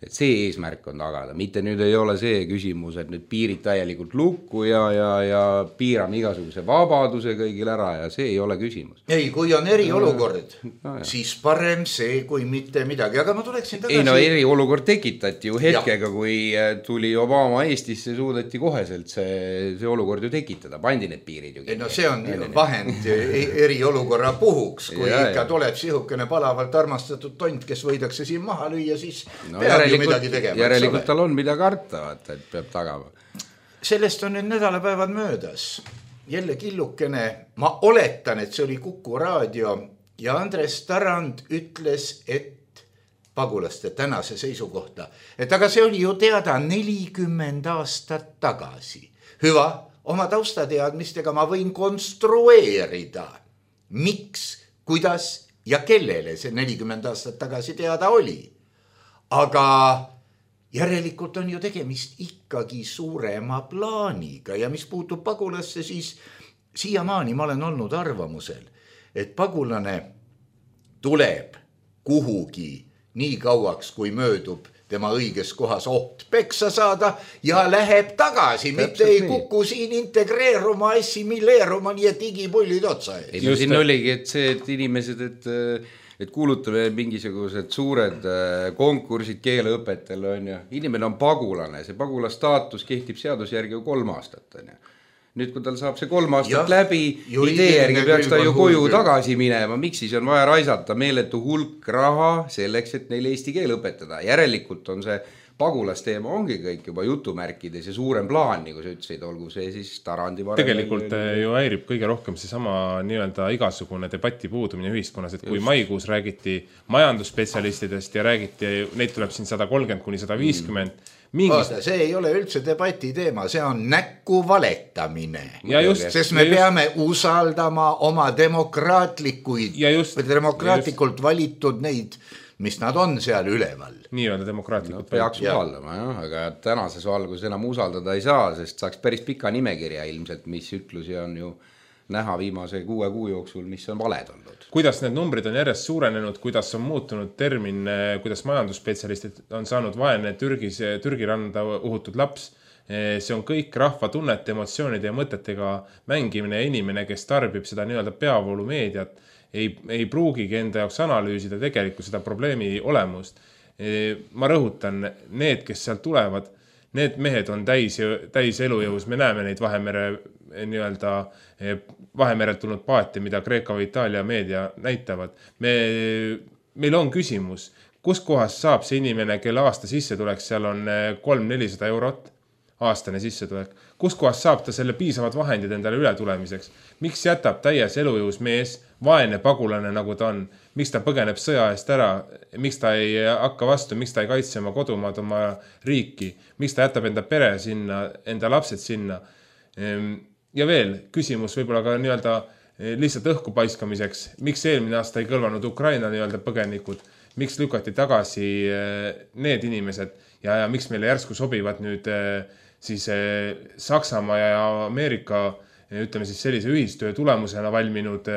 Et see eesmärk on tagada, mitte nüüd ei ole see küsimus, et nüüd piirid täielikult lukku ja, ja, ja piirame igasuguse vabaduse kõigil ära ja see ei ole küsimus. Ei, kui on eriolukord, no, siis parem see, kui mitte midagi, aga ma tuleksin tagasi. Ei, no eriolukord tekitati ju hetkega, ja. Kui tuli Obama Eestisse, suudeti koheselt see, see olukord ju tekitada, pandi need piirid ju. Ei, no see on vahend eriolukorra puhuks, kui ja, ikka ja. Tuleb sihukene palavalt armastatud tont, kes võidakse siin maha lüüa, siis no, peab Tegema, järelikult tal on mida karta, vaata, et peab tagama. Sellest on nüüd nädalapäevad möödas. Jälle killukene, ma oletan, et see oli Kuku raadio ja Andres Tarand ütles, et pagulaste tänase seisukohta, et aga see oli ju teada nelikümmend aastat tagasi. Hüva, oma taustateadmistega ma võin konstrueerida, miks, kuidas ja kellele see nelikümmend aastat tagasi teada oli. Aga järelikult on ju tegemist ikkagi suurema plaaniga ja mis puutub pagulasse, siis siiamaani ma olen olnud arvamusel, et pagulane tuleb kuhugi nii kauaks, kui möödub tema õiges kohas oht peksa saada ja läheb tagasi, täpselt mitte ei kuku siin integreeruma, assimileeruma, nii et digipullid otsa ees. Ei, no siin oligi, et see, et inimesed, et et kuulutame mingisugused suured konkursid keeleõpetel, on ju. Inimene on pagulane, see pagulastaatus kehtib seaduse järgi ju kolm aastat, on ju. Nüüd, kui tal saab see kolm aastat ja, läbi, idee järgi peaks ta ju koju hulk. Tagasi minema, miks siis on vaja raisata meeletu hulk raha selleks, et neil eesti keel õpetada. Järelikult on see pagulasteema ongi kõik juba jutumärkides ja suurem plaan, nagu sa ütlesid, olgu see siis Tarandi varem. Tegelikult ju häirib kõige rohkem see sama nii-öelda igasugune debati puudumine ühiskonnas, et kui Just. maikuus räägiti majandusspetsialistidest ja räägiti, neid tuleb siin sada kolmkümmend kuni sada viiskümmend. Mingist... Oota, see ei ole üldse debati teema, see on näkku valetamine. Just, sest me peame just... usaldama oma demokraatlikuid just, või demokraatlikult just... valitud neid, mis nad on seal üleval. Nii-öelda demokraatlikult. No, peaks usaldama, jah, aga tänases valguses enam usaldada ei saa, sest saaks päris pika nimekirja ilmselt, mis ütlusi on ju näha viimase kuue kuu jooksul, mis on valed olnud. Kuidas need numbrid on järjest suurenenud, kuidas on muutunud termin, kuidas majandusspetsialistid on saanud vaene Türgis, Türgi randa uhutud laps. See on kõik rahva tunnete, emotsioonide ja mõtetega mängimine ja inimene, kes tarbib seda nii-öelda peavoolu meediat, ei, ei pruugigi enda jaoks analüüsida tegelikult seda probleemi olemust. Ma rõhutan, need, kes sealt tulevad, need mehed on täis, täis elujõus, me näeme neid Vahemere nii-öelda Vahemerelt tulnud paate, mida Kreeka või Itaalia meedia näitavad. Me, meil on küsimus, kus kohas saab see inimene, kelle aasta sissetulek seal on kolm nelisada eurot, aastane sissetulek, kus kohas saab ta selle piisavad vahendid endale üle tulemiseks? Miks jätab täies elujõus mees, vaene pagulane nagu ta on? Miks ta põgeneb sõja eest ära? Miks ta ei hakka vastu? Miks ta ei kaitse oma kodumaad, oma riiki? Miks ta jätab enda pere sinna, enda lapsed sinna? Ja veel küsimus võib-olla ka nii-öelda lihtsalt õhku paiskamiseks. Miks eelmine aasta ei kõlvanud Ukraina nii-öelda põgenikud? Miks lükati tagasi need inimesed ja, ja miks meile järsku sobivad nüüd siis Saksamaa ja Ameerika, ütleme siis sellise ühistöö tulemusena valminud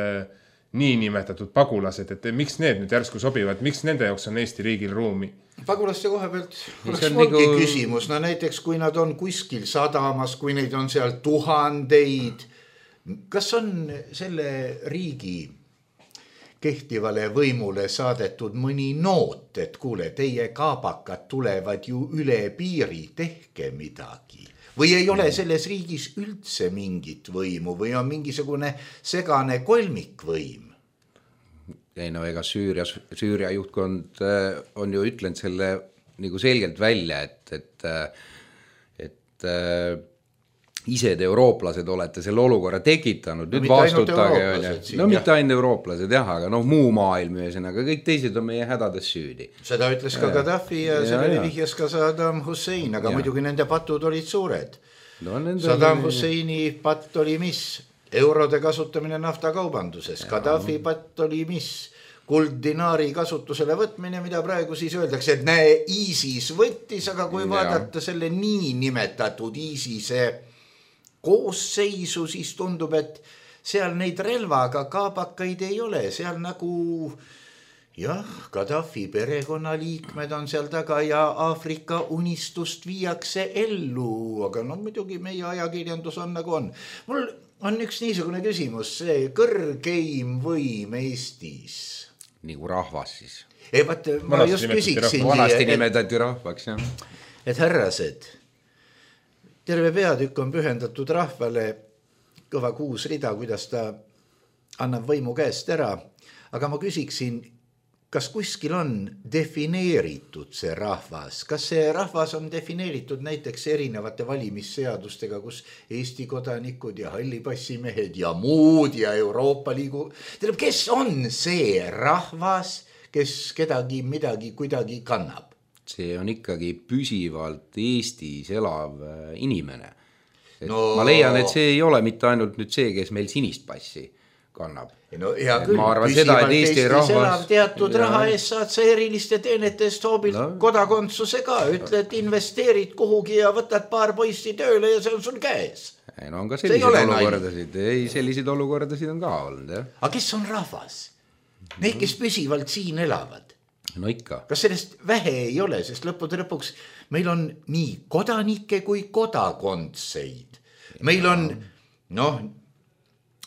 nii nimetatud pagulased, et miks need nüüd järsku sobivad, miks nende jaoks on Eesti riigil ruumi? Pagulaste koha pealt oleks ongi nagu... küsimus, no näiteks kui nad on kuskil sadamas, kui neid on seal tuhandeid, kas on selle riigi kehtivale võimule saadetud mõni noot, et kuule, teie kaabakad tulevad ju üle piiri, tehke midagi. Või ei ole selles riigis üldse mingit võimu või on mingisugune segane kolmikvõim? Ei no ega Süüria, Süüria juhtkond on ju ütlenud selle nagu selgelt välja, et, et, et ise te eurooplased olete selle olukorra tekitanud, nüüd no, vastutage. No mitte ainult eurooplased, jah, aga noh, muu maailm ühesõnaga, kõik teised on meie hädades süüdi. Seda ütles ka Gaddafi ja, ja sellele vihjas ka Saddam Hussein, aga ja. Muidugi nende patud olid suured. No, Saddam oli... Husseini patt oli mis? Eurode kasutamine naftakaubanduses. Ja. Gaddafi patt oli mis? Kulddinaari kasutusele võtmine, mida praegu siis öeldakse, et näe, ISIS võttis, aga kui ja. Vaadata selle nii nimetatud ISISe koosseisu, siis tundub, et seal neid relvaga kaabakaid ei ole, seal nagu jah, Gaddafi perekonnaliikmed on seal taga ja Aafrika unistust viiakse ellu, aga no muidugi meie ajakirjandus on nagu on. Mul on üks niisugune küsimus, see kõrgeim võim Eestis. Nagu rahvas siis. Ei, vaat, ma Vanasti just küsiksin. Vanasti nimetati rahvaks, jah. Et härrased, terve peatükk on pühendatud rahvale, kõva kuus rida, kuidas ta annab võimu käest ära. Aga ma küsiksin, kas kuskil on defineeritud see rahvas? Kas see rahvas on defineeritud näiteks erinevate valimisseadustega, kus Eesti kodanikud ja hallipassimehed ja muud ja Euroopa Liigu? Tähendab, kes on see rahvas, kes kedagi midagi kuidagi kannab? See on ikkagi püsivalt Eestis elav inimene. No... Ma leian, et see ei ole mitte ainult nüüd see, kes meil sinist passi kannab. No hea küll, arvan, püsivalt seda, Eesti Eestis rahvas... elav teatud ja... raha eest saad sa eriliste teenetest hoobilt no. Kodakondsuse ka. Ütled, investeerid kuhugi ja võtad paar poissi tööle ja see on sul käes. Ei, no on ka selliseid olukordasid. Ei, selliseid olukordasid on ka olnud. Ja. Aga kes on rahvas? Need, kes püsivalt siin elavad. No ikka. Kas sellest vähe ei ole, sest lõppude lõpuks meil on nii kodanikke kui kodakondseid. Meil on, noh,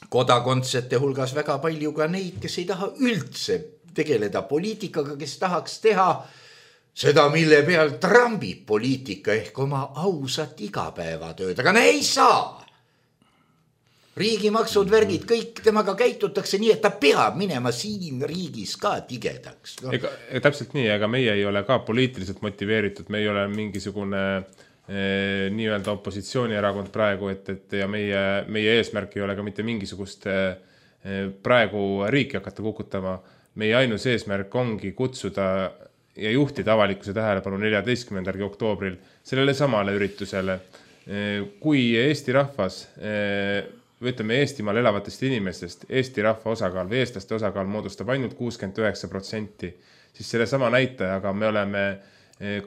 kodakondsete hulgas väga palju ka neid, kes ei taha üldse tegeleda poliitikaga, kes tahaks teha seda, mille peal trambib poliitika ehk oma ausat igapäevatööd, aga ne ei saa. riigimaksud, värgid, kõik temaga käitutakse nii, et ta peab minema siin riigis ka tigedaks no.. Ega, täpselt nii, aga meie ei ole ka poliitiliselt motiveeritud, me ei ole mingisugune eh, nii-öelda opositsioonierakond praegu, et, et ja meie, meie eesmärk ei ole ka mitte mingisugust eh, praegu riiki hakata kukutama. Meie ainus eesmärk ongi kutsuda ja juhtida avalikkuse tähelepanu neljateistkümnendal oktoobril sellele samale üritusele. Kui Eesti rahvas, või ütleme Eestimaal elavatest inimestest, Eesti rahva osakaal või eestlaste osakaal moodustab ainult kuuskümmend üheksa protsenti, siis selle sama näitajaga me oleme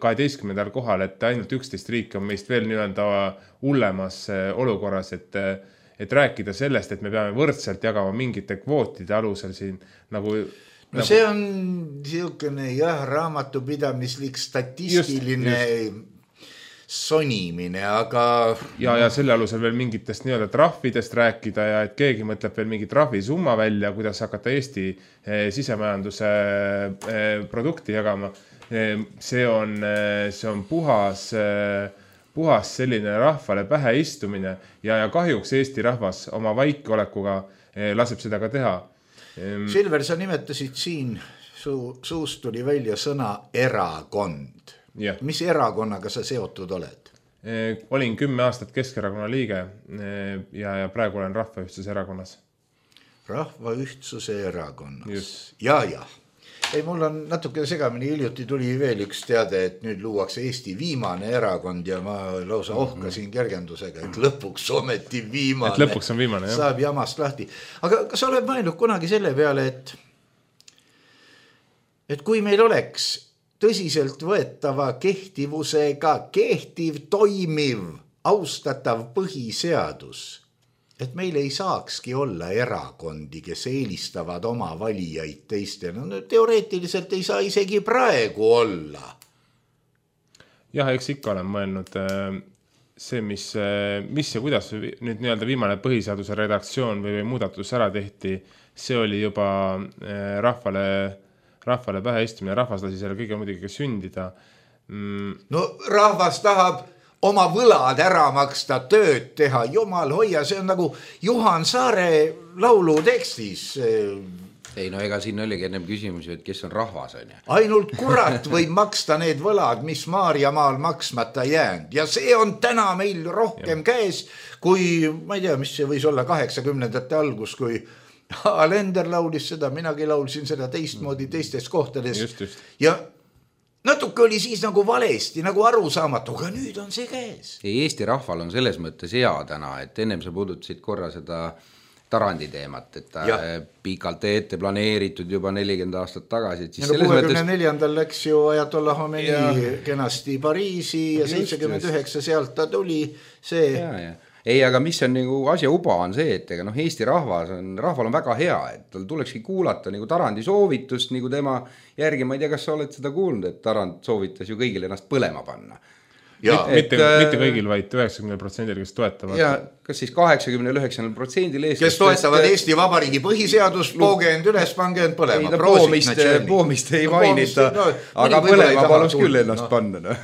kaheteistkümnendal kohal, et ainult üksteist riiki on meist veel nii-öelda hullemas olukorras, et et rääkida sellest, et me peame võrdselt jagama mingite kvootide alusel siin nagu... No nagu... see on niisugune jah, raamatupidamislik statistiline Just. sonimine, aga... Ja, ja selle alusel veel mingitest nii-öelda trahvidest rääkida ja et keegi mõtleb veel mingi trahvisumma välja, kuidas hakata Eesti eh, sisemajanduse eh, produkti jagama. Eh, see, on, eh, see on puhas... Eh, puhas selline rahvale pähe istumine ja, ja kahjuks Eesti rahvas oma vaikolekuga eh, laseb seda ka teha. Silver, sa nimetasid siin, su, suust tuli välja sõna erakond. Ja. Mis erakonnaga sa seotud oled? Eh, olin kümme aastat Keskerakonna liige eh, ja, ja praegu olen Rahvaühtsuse erakonnas. Rahvaühtsuse erakonnas. Just. Ja, ja. Ei, mul on natuke segamini, hiljuti tuli veel üks teade, et nüüd luuakse Eesti viimane erakond ja ma lausa ohkasin kergendusega, et lõpuks ometi viimane. Et lõpuks on viimane, jah. Saab jamast lahti. Aga kas oled mõelnud kunagi selle peale, et, et kui meil oleks tõsiselt võetava kehtivusega kehtiv, toimiv, austatav põhiseadus, et meil ei saakski olla erakondi, kes eelistavad oma valijaid teistele. No, teoreetiliselt ei saa isegi praegu olla. Jah, eks ikka olen mõelnud see, mis, mis ja kuidas nüüd nii-öelda viimane põhiseaduse redaktsioon või, või muudatus ära tehti, see oli juba rahvale, rahvale pähe istumine. Rahvas lasi selle kõige muidugi ka sündida. Mm. No rahvas tahab oma võlad ära maksta, tööd teha, jumal hoia, see on nagu Juhan Saare laulu tekstis. Ei no ega siin oligi ennem küsimus, et kes on rahvas, on ju. Ainult kurat võib maksta need võlad, mis Maarjamaal maksmata jäänud. Ja see on täna meil rohkem ja. Käes, kui, ma ei tea, mis see võis olla kaheksakümnendate algus, kui Alender laulis seda, minagi laulsin seda teistmoodi teistes kohtades. Just, just. Ja natuke oli siis nagu valesti, nagu arusaamatu, aga nüüd on see käes. Eesti rahval on selles mõttes hea täna, et ennem sa puudutasid korra seda Tarandi teemat, et ta ja. Pikalt ette planeeritud juba nelikümmend aastat tagasi. Ja no kuuekümne neljandal läks ju Ajatollah Khomeini ja. Kenasti Pariisi ja seitsekümmend üheksa sealt ta tuli see... Ja, ja. Ei, aga mis on nagu asja uba on see, et ega noh, Eesti rahvas on, rahval on väga hea, et tal tulekski kuulata nagu Tarandi soovitust, nagu tema järgi, ma ei tea, kas sa oled seda kuulnud, et Tarand soovitas ju kõigil ennast põlema panna. Ja, mitte, et, mitte kõigil, vaid üheksakümne protsendil, kes toetavad. Ja kas siis kaheksakümne üheksa protsendil eestlasest, kes toetavad Eesti Vabariigi põhiseadust, poogeend üles, pangeend põlema. Ei, poomist, poomist ei no, mainita, no, aga põlema palus küll ennast no. panna. No.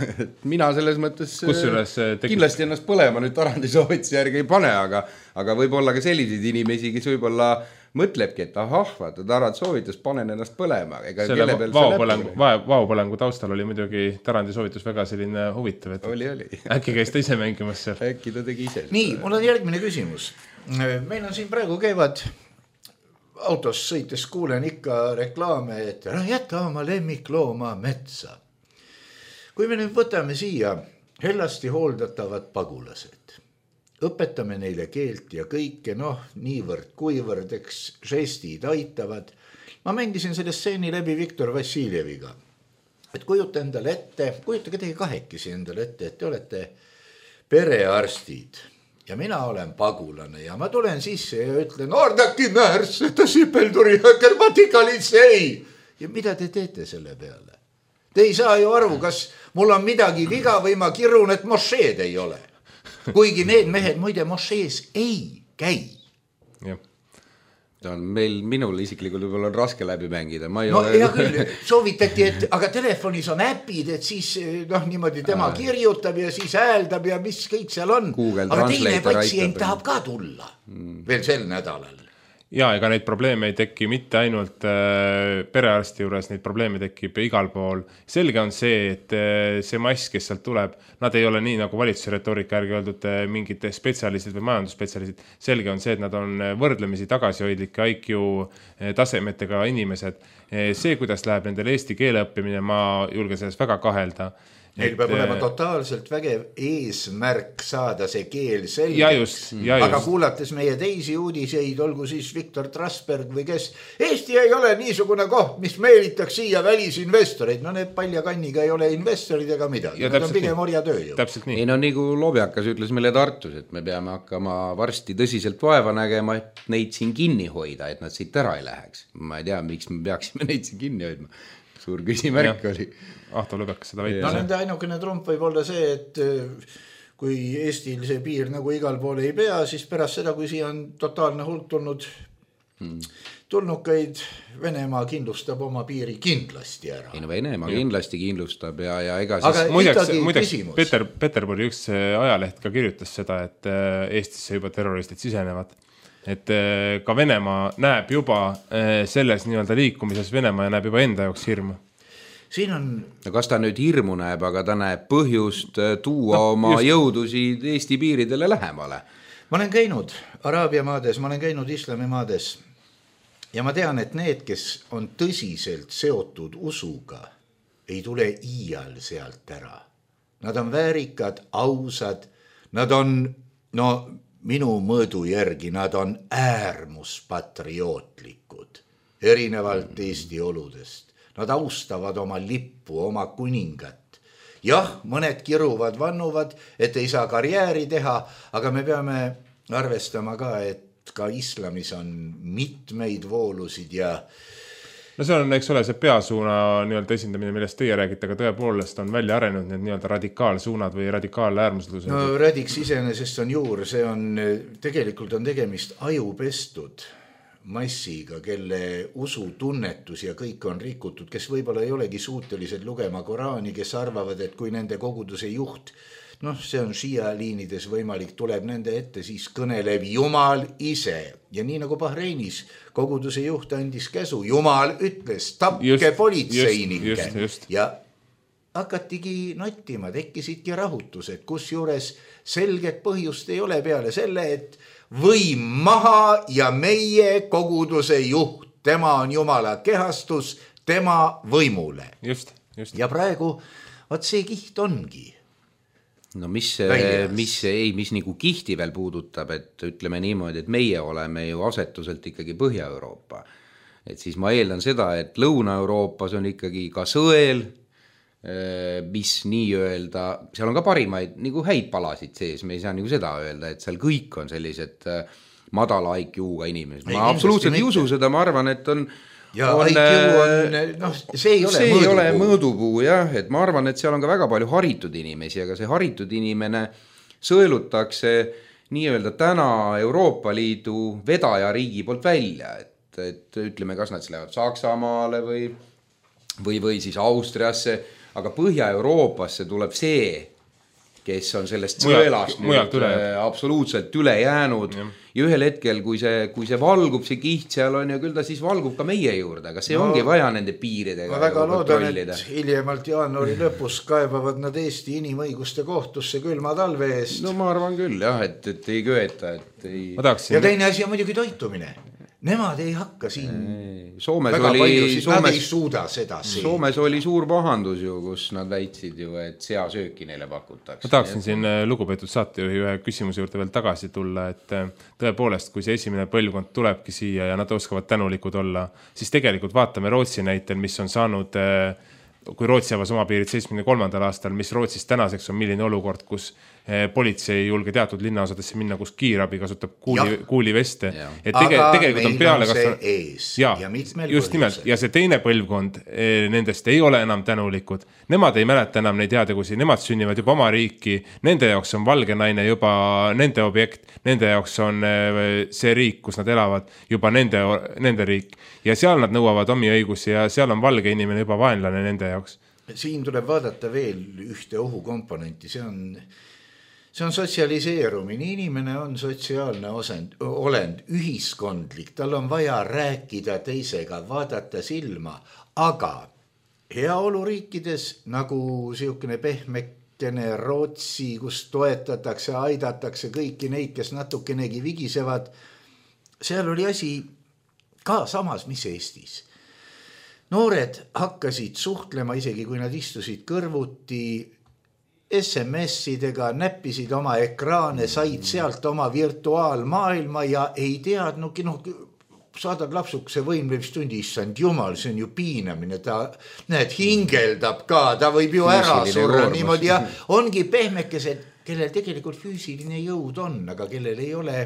Mina selles mõttes tekib... kindlasti ennast põlema nüüd Tarandi soovituse järgi ei pane, aga, aga võib olla ka selliseid inimesi, kes võib-olla mõtlebki, et ahah, vaata, Tarand soovitus, panen ennast põlema. Ega selle vaopõlengu, vaopõlengu taustal oli muidugi Tarandi soovitus väga selline huvitav, et oli, oli. äkki käis ta ise mängimas seal. Äkki ta tegi ise. Nii, mul on järgmine küsimus. Meil on siin praegu käivad autos sõites, kuulen ikka reklaame, et jäta oma lemmiklooma metsa. Kui me nüüd võtame siia hellasti hooldatavad pagulased, õpetame neile keelt ja kõike, noh, niivõrd, kuivõrd, eks žestid aitavad. Ma mängisin selle stseeni läbi Viktor Vassiljeviga. Et kujuta endale ette, kujutage teie kahekesi endale ette, et te olete perearstid ja mina olen pagulane ja ma tulen sisse ja ütlen, ordaki määrs, et ta Sipelduri Germatikalisei. Ja mida te teete selle peale? Te ei saa ju aru, kas mul on midagi viga või ma kirun, et mošeed ei ole. Kuigi need mehed muide mošees ei käi. Jah. on meil, minul isiklikult võib-olla on raske läbi mängida. Ma ei no ole... hea küll, soovitati, et aga telefonis on äpid, et siis noh, niimoodi tema kirjutab ja siis hääldab ja mis kõik seal on. Google aga teine Translator patsient aitab. tahab ka tulla mm. veel sel nädalal. Ja ega neid probleeme ei teki mitte ainult äh, perearsti juures, neid probleeme tekib igal pool. Selge on see, et äh, see mass, kes sealt tuleb, nad ei ole nii nagu valitsuse retoorika järgi öeldud äh, mingid spetsialistid või majandusspetsialistid. Selge on see, et nad on võrdlemisi tagasihoidlike I Q äh, tasemetega inimesed. Äh, see, kuidas läheb nendel eesti keele õppimine, ma julgen selles väga kahelda. Neil peab olema totaalselt vägev eesmärk saada see keel selgeks. Ja just, ja just. Aga kuulates meie teisi uudiseid, olgu siis Viktor Trasberg või kes, Eesti ei ole niisugune koht, mis meelitaks siia välisinvestoreid. No need paljakanniga ei ole investorid ega midagi. Ja nad on pigem orja tööjõud. Täpselt nii. Ei no nagu Lobjakas ütles meile Tartus, et me peame hakkama varsti tõsiselt vaeva nägema, et neid siin kinni hoida, et nad siit ära ei läheks. Ma ei tea, miks me peaksime neid siin kinni hoidma. Suur küsimärk ja. Oli. Ahto Lõbekas seda väitis. No nende ainukene trump võib olla see, et kui Eestil see piir nagu igal pool ei pea, siis pärast seda, kui siia on totaalne hulk tulnud hmm. tulnukaid, Venemaa kindlustab oma piiri kindlasti ära. Ei no Venemaa ja. Kindlasti kindlustab ja, ja ega siis... Aga muideks, muideks Peter, Peterburi üks ajaleht ka kirjutas seda, et Eestisse juba terroristid sisenevad. Et ka Venemaa näeb juba selles nii-öelda liikumises Venemaa ja näeb juba enda jaoks hirmu. Siin on... No kas ta nüüd hirmu näeb, aga ta näeb põhjust tuua no, oma just... jõudusid Eesti piiridele lähemale. Ma olen käinud Araabia maades, ma olen käinud islami maades ja ma tean, et need, kes on tõsiselt seotud usuga, ei tule iial sealt ära. Nad on väärikad, ausad, nad on, no minu mõõdu järgi, nad on äärmuspatriootlikud, erinevalt Eesti oludest. Nad austavad oma lippu, oma kuningat. Jah, mõned kiruvad, vannuvad, et ei saa karjääri teha, aga me peame arvestama ka, et ka islamis on mitmeid voolusid ja... No see on, eks ole, see peasuuna nii-öelda esindamine, millest teie räägite, aga tõepoolest on välja arenud need nii-öelda radikaalsuunad või radikaaläärmuslused. No radiks iseenesest on juur, see on, tegelikult on tegemist ajupestud massiga, kelle usutunnetus ja kõik on rikutud, kes võib-olla ei olegi suutelised lugema Koraani, kes arvavad, et kui nende koguduse juht, noh, see on Shia liinides võimalik, tuleb nende ette, siis kõneleb Jumal ise. Ja nii nagu Bahreinis koguduse juht andis käsu, Jumal ütles, tapke politseinike. Ja hakatigi nottima, tekkisidki rahutused, kus juures selget põhjust ei ole peale selle, et võim maha ja meie koguduse juht, tema on Jumala kehastus, tema võimule. Just, just. Ja praegu, vaat see kiht ongi. No mis, mis, ei, mis nagu kihti veel puudutab, et ütleme niimoodi, et meie oleme ju asetuselt ikkagi Põhja-Euroopa. Et siis ma eeldan seda, et Lõuna-Euroopas on ikkagi ka sõel, mis nii öelda, seal on ka parimaid nagu häid palasid sees, me ei saa nagu seda öelda, et seal kõik on sellised madala I Q-ga inimesed. Ma absoluutselt ei usu seda, ma arvan, et on ja on, I Q on, noh, see ei ole see mõõdupuu. Ei ole mõõdupuu, jah, et ma arvan, et seal on ka väga palju haritud inimesi, aga see haritud inimene sõelutakse nii-öelda täna Euroopa Liidu vedaja riigi poolt välja, et, et ütleme, kas nad lähevad Saksamaale või, või, või siis Austriasse, aga Põhja-Euroopasse tuleb see, kes on sellest sõelast mujalt üle. Absoluutselt üle jäänud ja. Ja ühel hetkel, kui see, kui see valgub, see kiht seal on ja küll ta siis valgub ka meie juurde, aga see no, ongi vaja nende piiridega. Ma väga loodan, et hiljemalt jaanuari lõpus kaebavad nad Eesti inimõiguste kohtusse külma talve eest. No ma arvan küll jah, et, et ei köeta. Et ei... Ja teine asi on muidugi toitumine. Nemad ei hakka siin Soomes väga oli, palju, siis Soomes, nad ei suuda seda siin. Soomes oli suur pahandus ju, kus nad väitsid ju, et seasööki neile pakutakse. Ma tahaksin siin lugupeetud saatejuhi ühe küsimuse juurde veel tagasi tulla, et tõepoolest, kui see esimene põlvkond tulebki siia ja nad oskavad tänulikud olla, siis tegelikult vaatame Rootsi näitel, mis on saanud, kui Rootsi avas oma piirid seitsmekümne kolmandal aastal, mis Rootsis tänaseks on milline olukord, kus politsei ei julge teatud linnaosadesse minna, kus kiirabi kasutab kuuli, kuuliveste. Et tege, aga tegelikult on peale on see kasvanud... ees ja, ja mitmel just nimelt, ja see teine põlvkond nendest ei ole enam tänulikud. Nemad ei mäleta enam neid heategusi, nemad sünnivad juba oma riiki, nende jaoks on valge naine juba nende objekt, nende jaoks on see riik, kus nad elavad, juba nende, nende riik. Ja seal nad nõuavad omi õigusi ja seal on valge inimene juba vaenlane nende jaoks. Siin tuleb vaadata veel ühte ohukomponenti, see on... See on sotsialiseerumine, inimene on sotsiaalne osend, olend, ühiskondlik, tal on vaja rääkida teisega, vaadata silma, aga heaoluriikides nagu siukene pehmekene Rootsi, kus toetatakse, aidatakse kõiki neid, kes natukenegi vigisevad, seal oli asi ka samas, mis Eestis. Noored hakkasid suhtlema, isegi kui nad istusid kõrvuti, S M S-idega, näppisid oma ekraane, said sealt oma virtuaalmaailma ja ei teadnudki, noh, saadad lapsukese võimlevistundi, issand jumal, see on ju piinamine, ta näed, hingeldab ka, ta võib ju ära surra niimoodi ja ongi pehmekesed, kellel tegelikult füüsiline jõud on, aga kellel ei ole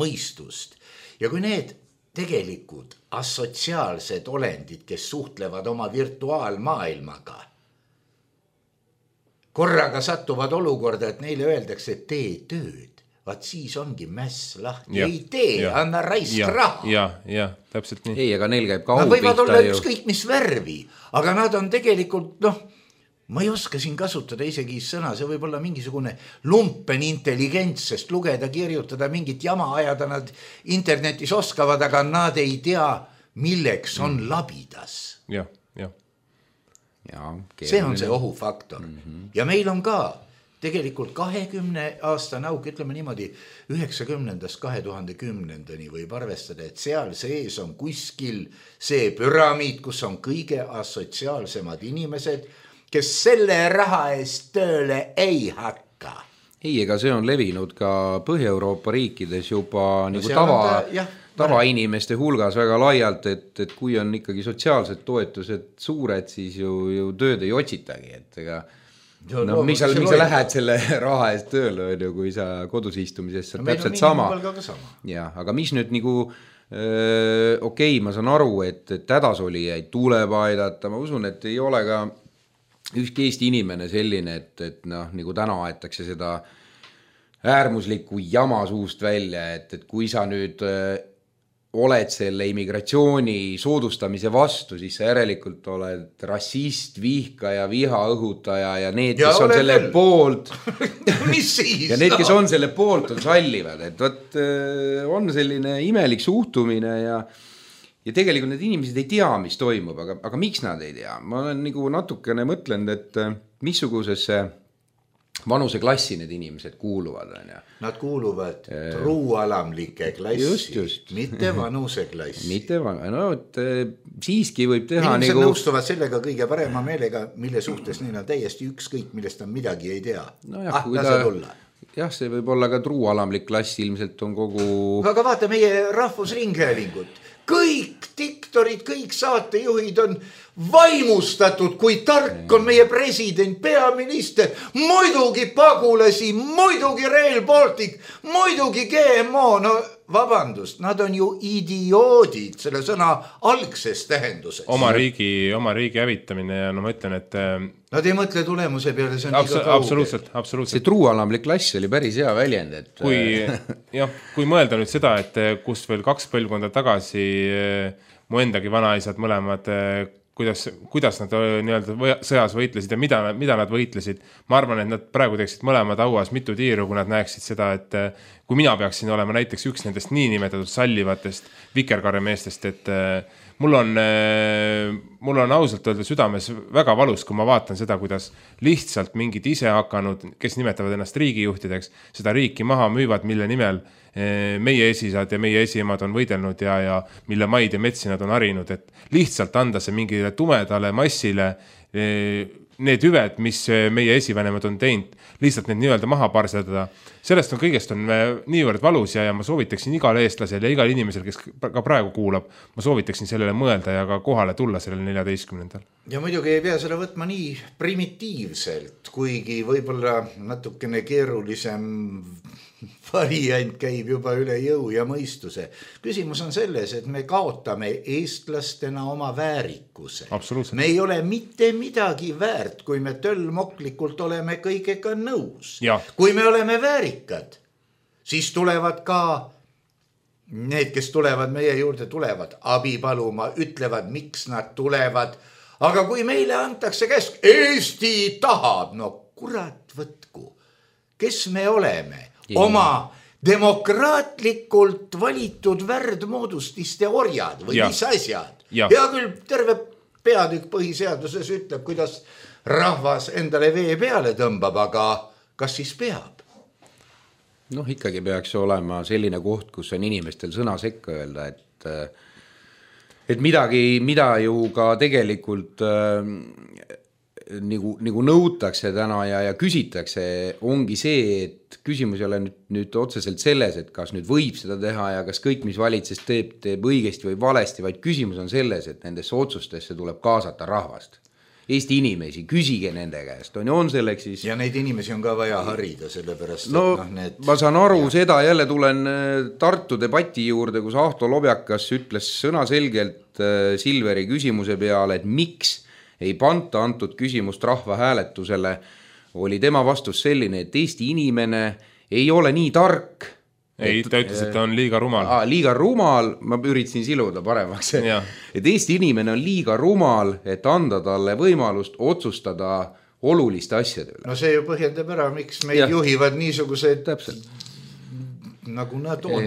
mõistust. Ja kui need tegelikud asotsiaalsed olendid, kes suhtlevad oma virtuaalmaailmaga, korraga sattuvad olukorda, et neile öeldakse, et tee tööd. Vaat siis ongi mäss lahti. Ja, ei tee, ja, anna raisk ja, raha. Ja, ja, täpselt nii. Ei, aga neil käib ka au pihta. Nad võivad olla ju ükskõik mis värvi, aga nad on tegelikult, noh, ma ei oska siin kasutada isegi sõna, see võib olla mingisugune lumpen intelligents, sest lugeda, kirjutada, mingit jama ajada nad internetis oskavad, aga nad ei tea, milleks on mm. labidas. Jah, jah. Ja, see on see ohufaktor. Mm-hmm. Ja meil on ka tegelikult kahekümne aasta nauk, ütleme niimoodi, üheksakümnendast kahe tuhande kümnendani võib arvestada, et seal sees on kuskil see püramiid, kus on kõige asotsiaalsemad inimesed, kes selle raha eest tööle ei hakka. Ei, ega see on levinud ka Põhja-Euroopa riikides juba no nagu tava... Ta, tavainimeste hulgas väga laialt, et, et kui on ikkagi sotsiaalsed toetused suured, siis ju, ju tööd ei otsitagi, et ega no, no, miks sa, miks sa lähed selle raha eest tööle, kui sa kodus istumises no, täpselt sama. sama. Ja, aga mis nüüd nagu öö, okei, okay, ma saan aru, et, et hädasolijaid tuleb aidata, ma usun, et ei ole ka ükski Eesti inimene selline, et, et noh, nagu täna aetakse seda äärmuslikku jama suust välja, et, et kui sa nüüd öö, oled selle immigratsiooni soodustamise vastu, siis sa järelikult oled rassist, vihkaja, viha õhutaja ja need, kes ja on selle veel. Poolt mis siis? Ja need, kes on selle poolt, on sallivad, et võt, on selline imelik suhtumine ja, ja tegelikult need inimesed ei tea, mis toimub, aga, aga miks nad ei tea? Ma olen nagu natukene mõtlenud, et missugusesse vanuseklassi need inimesed kuuluvad. Ja. Nad kuuluvad äh, truualamlike klassi, just, just. mitte vanuseklassi. Mitte van... no, et, siiski võib teha inimesed nagu... nõustuvad sellega kõige parema meelega, mille suhtes neil on täiesti ükskõik, millest on midagi ei tea. No jah, ah, lase tulla. Jah, see võib olla ka truualamlik klass, ilmselt on kogu... Aga vaata meie rahvusringhäälingut. Kõik diktorid, kõik saatejuhid on vaimustatud, kui tark on meie president, peaminister, muidugi pagulasi, muidugi Rail Baltic, muidugi G M O, no vabandust, nad on ju idioodid selle sõna algses tähenduses. Oma riigi, oma riigi hävitamine ja no ma ütlen, et... Nad ei mõtle tulemuse peale, see on Abs- liiga kauge. Absoluutselt, absoluutselt. See truualamlik klass oli päris hea väljend, et... Kui, jah, kui mõelda nüüd seda, et kus veel kaks põlvkonda tagasi mu endagi vanaisad mõlemad, kuidas, kuidas nad nii-öelda sõjas võitlesid ja mida, mida nad võitlesid. Ma arvan, et nad praegu teeksid mõlemad auas mitu tiiru, kui nad näeksid seda, et kui mina peaksin olema näiteks üks nendest niinimetatud sallivatest vikerkaremeestest, et mul on, mul on ausalt öelda südames väga valus, kui ma vaatan seda, kuidas lihtsalt mingid ise hakanud, kes nimetavad ennast riigijuhtideks, seda riiki maha müüvad, mille nimel meie esisad ja meie esiemad on võidelnud ja, ja mille maid ja metsi nad on harinud, et lihtsalt anda see mingile tumedale massile need hüved, mis meie esivanemad on teinud, lihtsalt need nii-öelda maha parsetada. Sellest on kõigest on niivõrd valus ja, ja ma soovitaksin igale eestlasel ja igal inimesel, kes ka praegu kuulab, ma soovitaksin sellele mõelda ja ka kohale tulla sellele neljateistkümnendal. Ja muidugi ei pea selle võtma nii primitiivselt, kuigi võib-olla natukene keerulisem variant käib juba üle jõu ja mõistuse. Küsimus on selles, et me kaotame eestlastena oma väärikuse. Me ei ole mitte midagi väärt, kui me töllmoklikult oleme kõigega nõus. Ja. Kui me oleme väärikad, siis tulevad ka need, kes tulevad meie juurde, tulevad abi paluma, ütlevad, miks nad tulevad. Aga kui meile antakse käsk, Eesti tahab, no kurat võtku, kes me oleme? Oma demokraatlikult valitud värdmoodustiste orjad või ja. Mis asjad. Ja. ja küll terve peatükk põhiseaduses ütleb, kuidas rahvas endale vee peale tõmbab, aga kas siis peab? Noh, ikkagi peaks olema selline koht, kus on inimestel sõna sekka öelda, et, et midagi, mida ju ka tegelikult äh, Nagu, nagu nõutakse täna ja, ja küsitakse, ongi see, et küsimus ei ole nüüd, nüüd otseselt selles, et kas nüüd võib seda teha ja kas kõik, mis valitsus teeb, teeb õigesti või valesti, vaid küsimus on selles, et nendesse otsustesse tuleb kaasata rahvast. Eesti inimesi, küsige nende käest, on, on selleks siis... Ja neid inimesi on ka vaja harida, sellepärast... No, et, no need... ma saan aru ja. Seda, jälle tulen Tartu debati juurde, kus Ahto Lobjakas ütles sõnaselgelt Silveri küsimuse peale, et miks ei panta antud küsimust rahvahääletusele, oli tema vastus selline, et Eesti inimene ei ole nii tark. Ei, ta ütles, et ta on liiga rumal. Aa, liiga rumal, ma üritasin siluda paremaks. Ja. Et Eesti inimene on liiga rumal, et anda talle võimalust otsustada oluliste asjade üle. No see ju põhjendab ära, miks meid ja. Juhivad niisugused täpselt. Nagu nad on.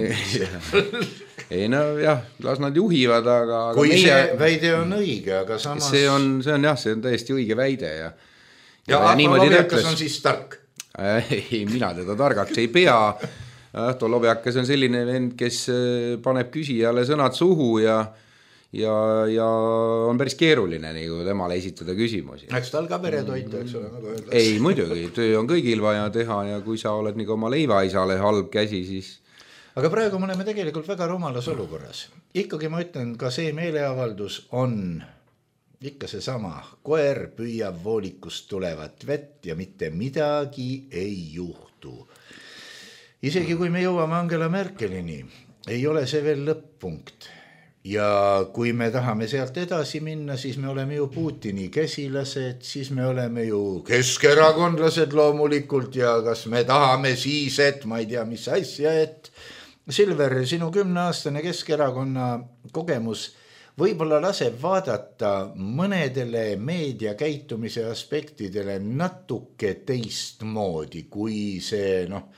Ei no jah, las nad juhivad, aga... Kui meie... see väide on õige, aga samas... See on, see on jah, see on täiesti õige väide ja... Ja, ja Ahto Lobjakas on siis tark? Ei, mina teda targaks ei pea. Ahto Lobjakas on selline vend, kes paneb küsijale sõnad suhu ja, ja, ja on päris keeruline nagu temale esitada küsimusi. Eks tal ka peretoita, eks ole, nagu öeldakse. Ei, muidugi, töö on kõigil vaja teha ja kui sa oled nagu oma leivaisale halb käsi, siis... Aga praegu me oleme tegelikult väga rumalas olukorras. Ikkagi ma ütlen, ka see meeleavaldus on ikka see sama. Koer püüab voolikust tulevat vett ja mitte midagi ei juhtu. Isegi kui me jõuame Angela Merkelini, ei ole see veel lõpp-punkt. Ja kui me tahame sealt edasi minna, siis me oleme ju Putini käsilased, siis me oleme ju keskerakondlased loomulikult ja kas me tahame siis, et ma ei tea, mis asja, et Silver, sinu kümneaastane Keskerakonna kogemus võib-olla laseb vaadata mõnedele meedia käitumise aspektidele natuke teistmoodi, kui see noh,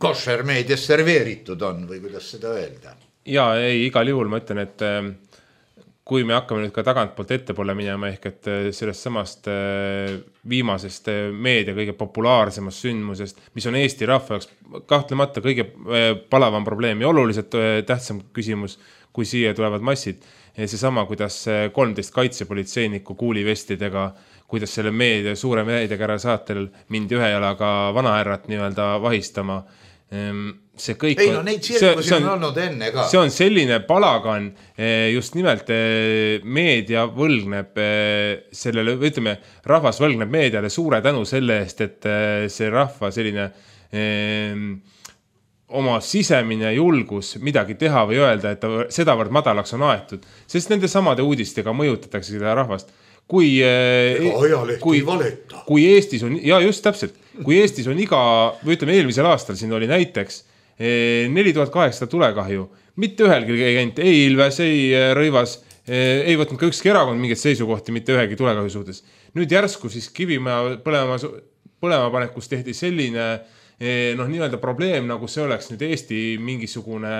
košer meedias serveeritud on või kuidas seda öelda? Ja ei, igal juhul ma ütlen, et kui me hakkame nüüd ka tagantpoolt ettepoole minema ehk et sellest samast viimasest meedia kõige populaarsemast sündmusest, mis on Eesti rahva jaoks kahtlemata kõige palavam probleem ja oluliselt tähtsam küsimus, kui siia tulevad massid. See sama, kuidas kolmteist kaitsepolitseinikku kuulivestidega, kuidas selle meedia, suure meediakära saatel mindi ühe jalaga vanaärrat nii-öelda vahistama. See kõik ei no neid tsirkusi on, on olnud enne ka. See on selline palagan, just nimelt meedia võlgneb sellele, ütleme, rahvas võlgneb meediale suure tänu selle eest, et see rahva selline eh, oma sisemine julgus midagi teha või öelda, et ta sedavõrd madalaks on aetud, sest nende samade uudistega mõjutatakse seda rahvast. Kui, kui, kui Eestis on, ja just täpselt, kui Eestis on iga, või ütleme eelmisel aastal siin oli näiteks neli tuhat kaheksasada tulekahju, mitte ühelgi ei käinud, ei Ilves, ei Rõivas, ei võtnud ka ükski erakond mingit seisukohti mitte ühegi tulekahju suhtes. Nüüd järsku siis Kivimäe põlema, põlemapanekus tehti selline noh, nii-öelda probleem, nagu see oleks nüüd Eesti mingisugune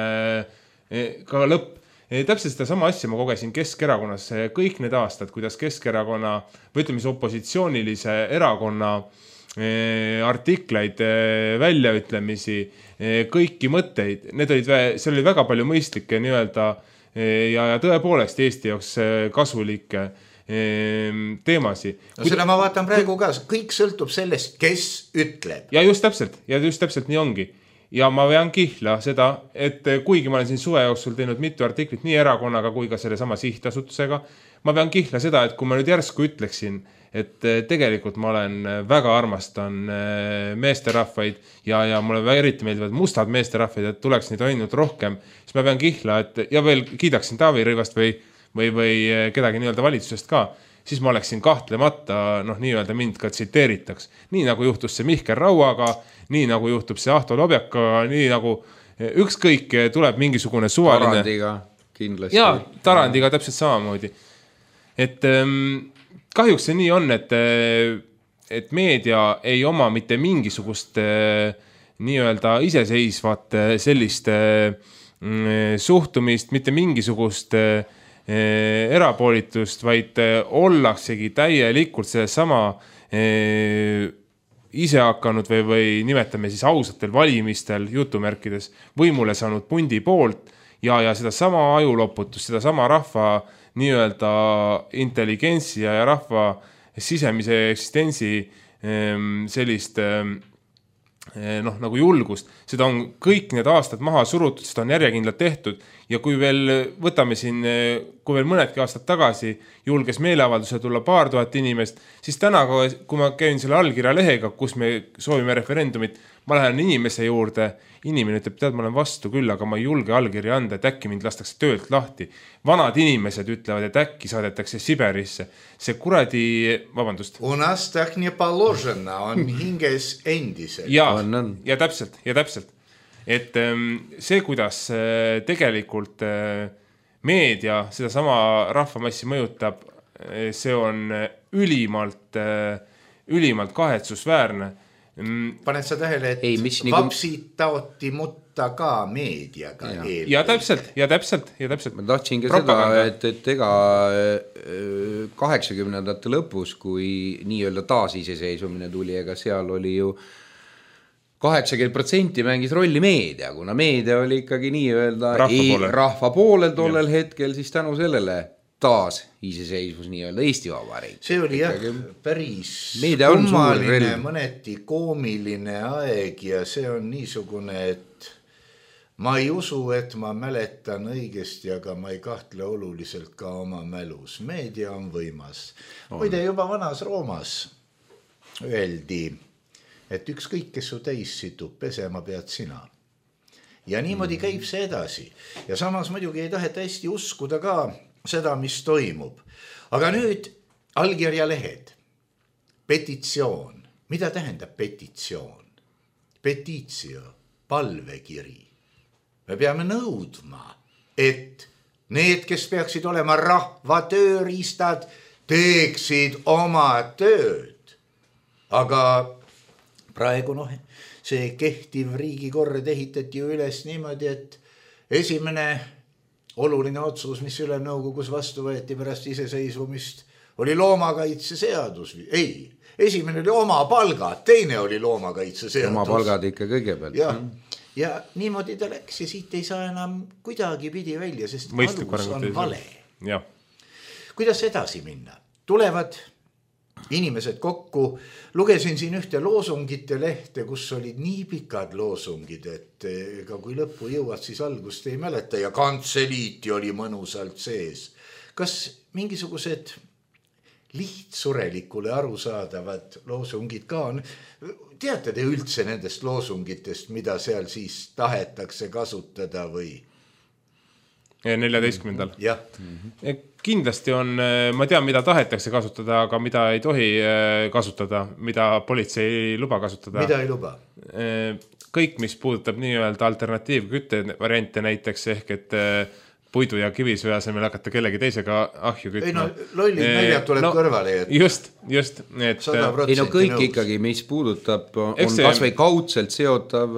ka lõpp. Täpselt seda sama asja ma kogesin Keskerakonnas kõik need aastad, kuidas Keskerakonna, või ütleme opositsioonilise erakonna artikleid, väljaütlemisi, kõiki mõtteid, need olid, seal oli väga palju mõistlikke nii-öelda ja, ja tõepoolest Eesti jaoks kasulikke teemasi. No seda ma vaatan praegu ka, kõik sõltub sellest, kes ütleb. Ja just täpselt, ja just täpselt nii ongi. Ja ma vean kihla seda, et kuigi ma olen siin suve jooksul teinud mitu artiklit nii erakonnaga kui ka selle sama sihtasutusega, ma vean kihla seda, et kui ma nüüd järsku ütleksin, et tegelikult ma olen väga armastan meesterahvaid ja, ja mulle eriti meeldivad mustad meesterahvaid, et tuleks neid ainult rohkem, siis ma vean kihla, et ja veel kiidaksin Taavi Rõivast või või, või kedagi nii-öelda valitsusest ka, siis ma oleksin kahtlemata, noh, nii-öelda mind ka tsiteeritaks. Nii nagu juhtus see Mihkel Rauaga, nii nagu juhtub see Ahto Lobjakaga, nii nagu ükskõik tuleb mingisugune suvaline... Tarandiga kindlasti. Jaa, Tarandiga täpselt samamoodi. Et ähm, kahjuks see nii on, et, et meedia ei oma mitte mingisugust äh, nii-öelda iseseisvat sellist äh, suhtumist, mitte mingisugust äh, erapoolitust, vaid ollaksegi täielikult selle sama eh, ise hakanud või, või nimetame siis ausatel valimistel jutumärkides võimule saanud pundi poolt ja, ja seda sama ajuloputust, seda sama rahva nii-öelda intelligentsi ja rahva sisemise eksistentsi eh, sellist eh, noh, nagu julgust, seda on kõik need aastad maha surutud, seda on järjekindlalt tehtud ja kui veel võtame siin, kui veel mõnedki aastad tagasi julges meeleavalduse tulla paar tuhat inimest, siis täna, kui ma käin selle allkirja lehega, kus me soovime referendumit, ma lähen inimese juurde, inimene ütleb, tead, ma olen vastu küll, aga ma ei julge allkirja anda, et äkki mind lastakse töölt lahti. Vanad inimesed ütlevad, et äkki saadetakse Siberisse. See kuradi, vabandust. U nas tak nie paložena, on hinges endiselt. Ja, ja täpselt, ja täpselt. Et see, kuidas tegelikult meedia seda sama rahvamassi mõjutab, see on ülimalt, ülimalt kahetsusväärne. Paned sa tähele, et Ei, vapsid nagu... taoti mutta ka meediaga. Ja, ja täpselt, ja täpselt, ja täpselt. Ma tahtsin ka Propaganda. seda, et, et ega kaheksakümnendate lõpus, kui nii-öelda taasiseseisvumine tuli, ega seal oli ju kaheksakümmend protsenti mängis rolli meedia, kuna meedia oli ikkagi nii-öelda rahva poolel, rahva poolel tollel ja. hetkel, siis tänu sellele taas iseseisvus nii-öelda Eesti Vabariik. See oli jah päris kummaline, mõneti koomiline aeg ja see on niisugune, et ma ei usu, et ma mäletan õigesti, aga ma ei kahtle oluliselt ka oma mälus. Meedia on võimas. Muide juba vanas Roomas öeldi, et ükskõik, kes su täis situb, pesema pead sina. Ja niimoodi käib see edasi. Ja samas muidugi ei taheta hästi uskuda ka seda, mis toimub. Aga nüüd allkirjalehed. Petitsioon. Mida tähendab petitsioon? Petitio, palvekiri. Me peame nõudma, et need, kes peaksid olema rahva tööriistad, teeksid oma tööd. Aga praegu noh, see kehtiv riigikord ehitati ju üles niimoodi, et esimene oluline otsus, mis Ülemnõukogus vastu võeti pärast iseseisvumist, oli loomakaitse seadus. Ei, esimene oli oma palgad, teine oli loomakaitse seadus. Oma palgad ikka kõigepealt. Ja, ja niimoodi ta läks ja siit ei saa enam kuidagi pidi välja, sest Mõistlik alus on vale. Ja. Kuidas edasi minna? Tulevad inimesed kokku, lugesin siin ühte loosungite lehte, kus olid nii pikad loosungid, et ega kui lõppu jõuad, siis algust ei mäleta ja kantseliiti oli mõnusalt sees. Kas mingisugused lihtsurelikule arusaadavad loosungid ka on? Teate te üldse nendest loosungitest, mida seal siis tahetakse kasutada või? neljateistkümnendal. Jah. Kindlasti on, ma tean, mida tahetakse kasutada, aga mida ei tohi kasutada, mida politsei ei luba kasutada. Mida ei luba? Kõik, mis puudutab nii-öelda alternatiivkütte variante näiteks, ehk et puidu ja kivisöe asemel hakata kellegi teisega ahju kütma. Ei no, lollid näljad tuleb no, kõrvale. Et... Just, just. Et... Ei no kõik nõus. Ikkagi, mis puudutab, on see... kas või kaudselt seotav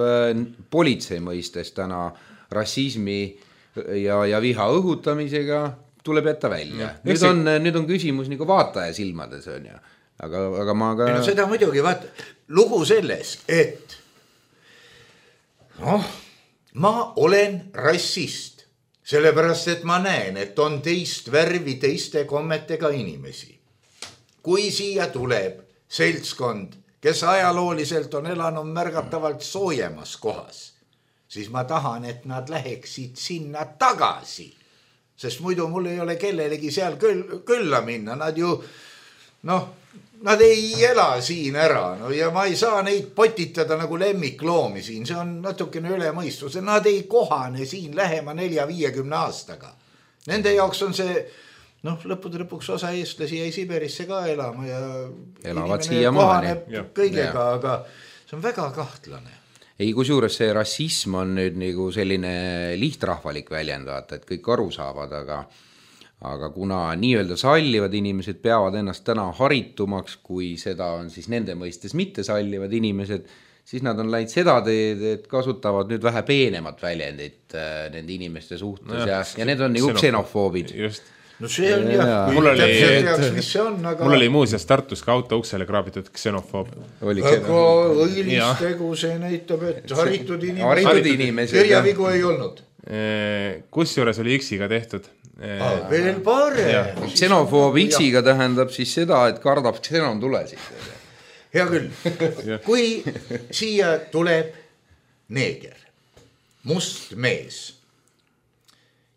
politsei mõistes täna rassismi ja, ja viha õhutamisega tuleb jätta välja. Mm. Nüüd, on, nüüd on küsimus nagu vaataja silmades, on ju. Aga, aga ma ka... No, seda muidugi, vaata, lugu selles, et noh, ma olen rassist. sellepärast, et ma näen, et on teist värvi teiste kommetega inimesi. Kui siia tuleb seltskond, kes ajalooliselt on elanud märgatavalt soojemas kohas, siis ma tahan, et nad läheksid sinna tagasi. Sest muidu mul ei ole kellelegi seal küll, külla minna. Nad ju, noh, nad ei ela siin ära. No, ja ma ei saa neid potitada nagu lemmikloomi siin. See on natukene üle mõistuse. Nad ei kohane siin lähema nelja viiekümne aastaga. Nende jaoks on see, noh, lõppude lõpuks osa eestlasi jäi Siberisse ka elama ja elavad siia maani kõigega, aga see on väga kahtlane. Ei, kusjuures see rassism on nüüd nagu selline lihtrahvalik väljend, vaata, et kõik aru saavad, aga, aga kuna nii-öelda sallivad inimesed peavad ennast täna haritumaks, kui seda on siis nende mõistes mitte sallivad inimesed, siis nad on läinud seda teed, et kasutavad nüüd vähe peenemat väljendit nende inimeste suhtes ja, ja, ja need on nagu ksenofoobid. Just. No see on jah, jah. Kui oli, teaks, mis see on, aga... Mul oli muuseas Tartus ka auto uksele kraabitud ksenofoob. Aga õilis tegu see näitab, et haritud inimesed, inimesed kirjavigu ei olnud. Kus juures oli X-iga tehtud? Ah, veel parem. Ksenofoob X-iga tähendab siis seda, et kardab ksenon tulesid. Hea küll. Kui siia tuleb neeger, must mees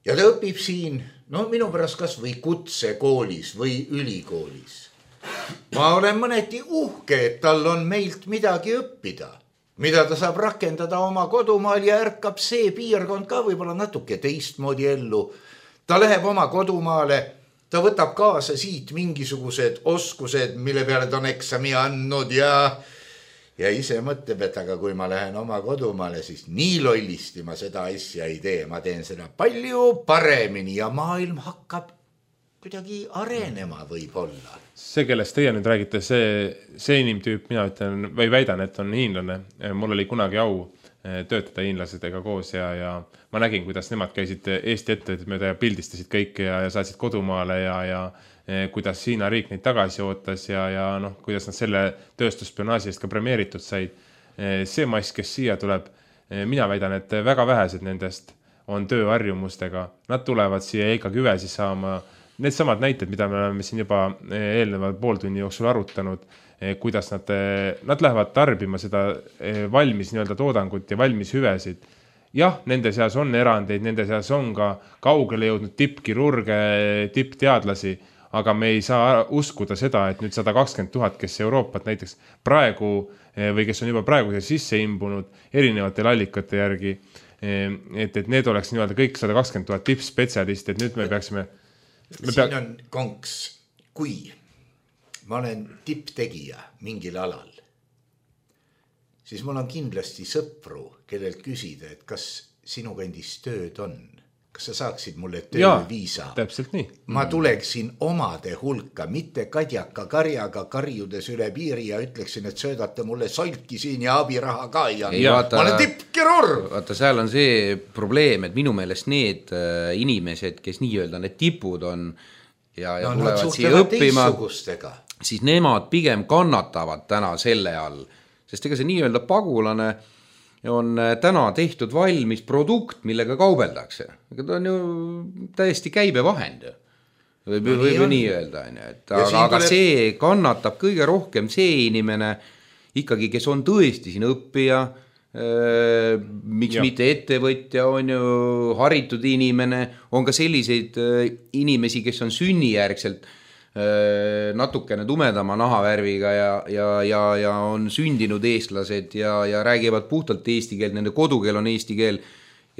ja ta õpib siin, no minu pärast kas või kutsekoolis või ülikoolis. Ma olen mõneti uhke, et tal on meilt midagi õppida, mida ta saab rakendada oma kodumaal ja ärkab see piirkond ka võib-olla natuke teistmoodi ellu. Ta läheb oma kodumaale, ta võtab kaasa siit mingisugused oskused, mille peale ta on eksami andnud ja... Ja ise mõtleb, et aga kui ma lähen oma kodumaale, siis nii lollisti ma seda asja ei tee. Ma teen seda palju paremini ja maailm hakkab kuidagi arenema võib-olla. See, kellest teie nüüd räägite, see, see inimtüüp, mina ütlen, või väidan, et on hiinlane. Mul oli kunagi au töötada hiinlasedega koos ja, ja ma nägin, kuidas nemad käisid Eesti ettevõtted mööda ja pildistasid kõike ja, ja saatsid kodumaale ja, ja kuidas Hiina riik neid tagasi ootas ja, ja noh, kuidas nad selle tööstusspionaaži eest ka premeeritud said. See mass, kes siia tuleb, mina väidan, et väga vähesed nendest on tööharjumustega. Nad tulevad siia ikkagi hüvesi saama. Need samad näited, mida me oleme siin juba eelneva pooltunni jooksul arutanud, kuidas nad, nad lähevad tarbima seda valmis nii-öelda toodangut ja valmis hüvesid. Jah, nende seas on erandeid, nende seas on ka kaugele jõudnud tippkirurge, tippteadlasi, aga me ei saa uskuda seda, et nüüd sada kakskümmend tuhat, kes Euroopat näiteks praegu või kes on juba praegu sisse imbunud erinevatel allikate järgi, et, et need oleks nii-öelda kõik sada kakskümmend tuhat tippspetsialist, et nüüd me peaksime... Me pea... Siin on konks, kui ma olen tipptegija mingil alal, siis mul on kindlasti sõpru, kellelt küsida, et kas sinu kandis tööd on. Kas sa saaksid mulle tööviisa? Täpselt nii. Ma tuleksin omade hulka, mitte kadjaka karjaga karjudes üle piiri ja ütleksin, et söödate mulle solki siin ja abiraha ka ja ei, vaata, ma olen tippkirurg. Vaata, seal on see probleem, et minu meelest need inimesed, kes nii-öelda need tipud on ja, ja no, tulevad siia õppima, siis nemad pigem kannatavad täna selle all, sest ega see nii-öelda pagulane on täna tehtud valmis produkt, millega kaubeldakse. Ega ta on ju täiesti käibevahend. Või, no, või, või nii öelda. Et, aga aga tuleb... see kannatab kõige rohkem see inimene ikkagi, kes on tõesti siin õppija, äh, miks ja. Mitte ettevõtja, on ju haritud inimene, on ka selliseid äh, inimesi, kes on sünnijärgselt natukene tumedama nahavärviga ja, ja, ja, ja on sündinud eestlased ja, ja räägivad puhtalt eesti keelt, nende kodukeel on eesti keel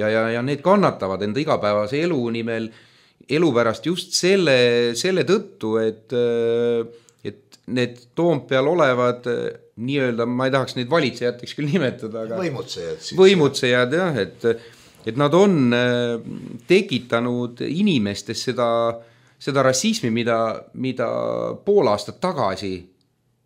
ja, ja, ja need kannatavad enda igapäevase elu nimel, elu pärast just selle, selle tõttu, et, et need Toompeal olevad nii-öelda, ma ei tahaks neid valitsejateks küll nimetada, aga võimutsejad, siis, võimutsejad jah, et, et nad on tekitanud inimestes seda seda rassismi, mida, mida pool aastat tagasi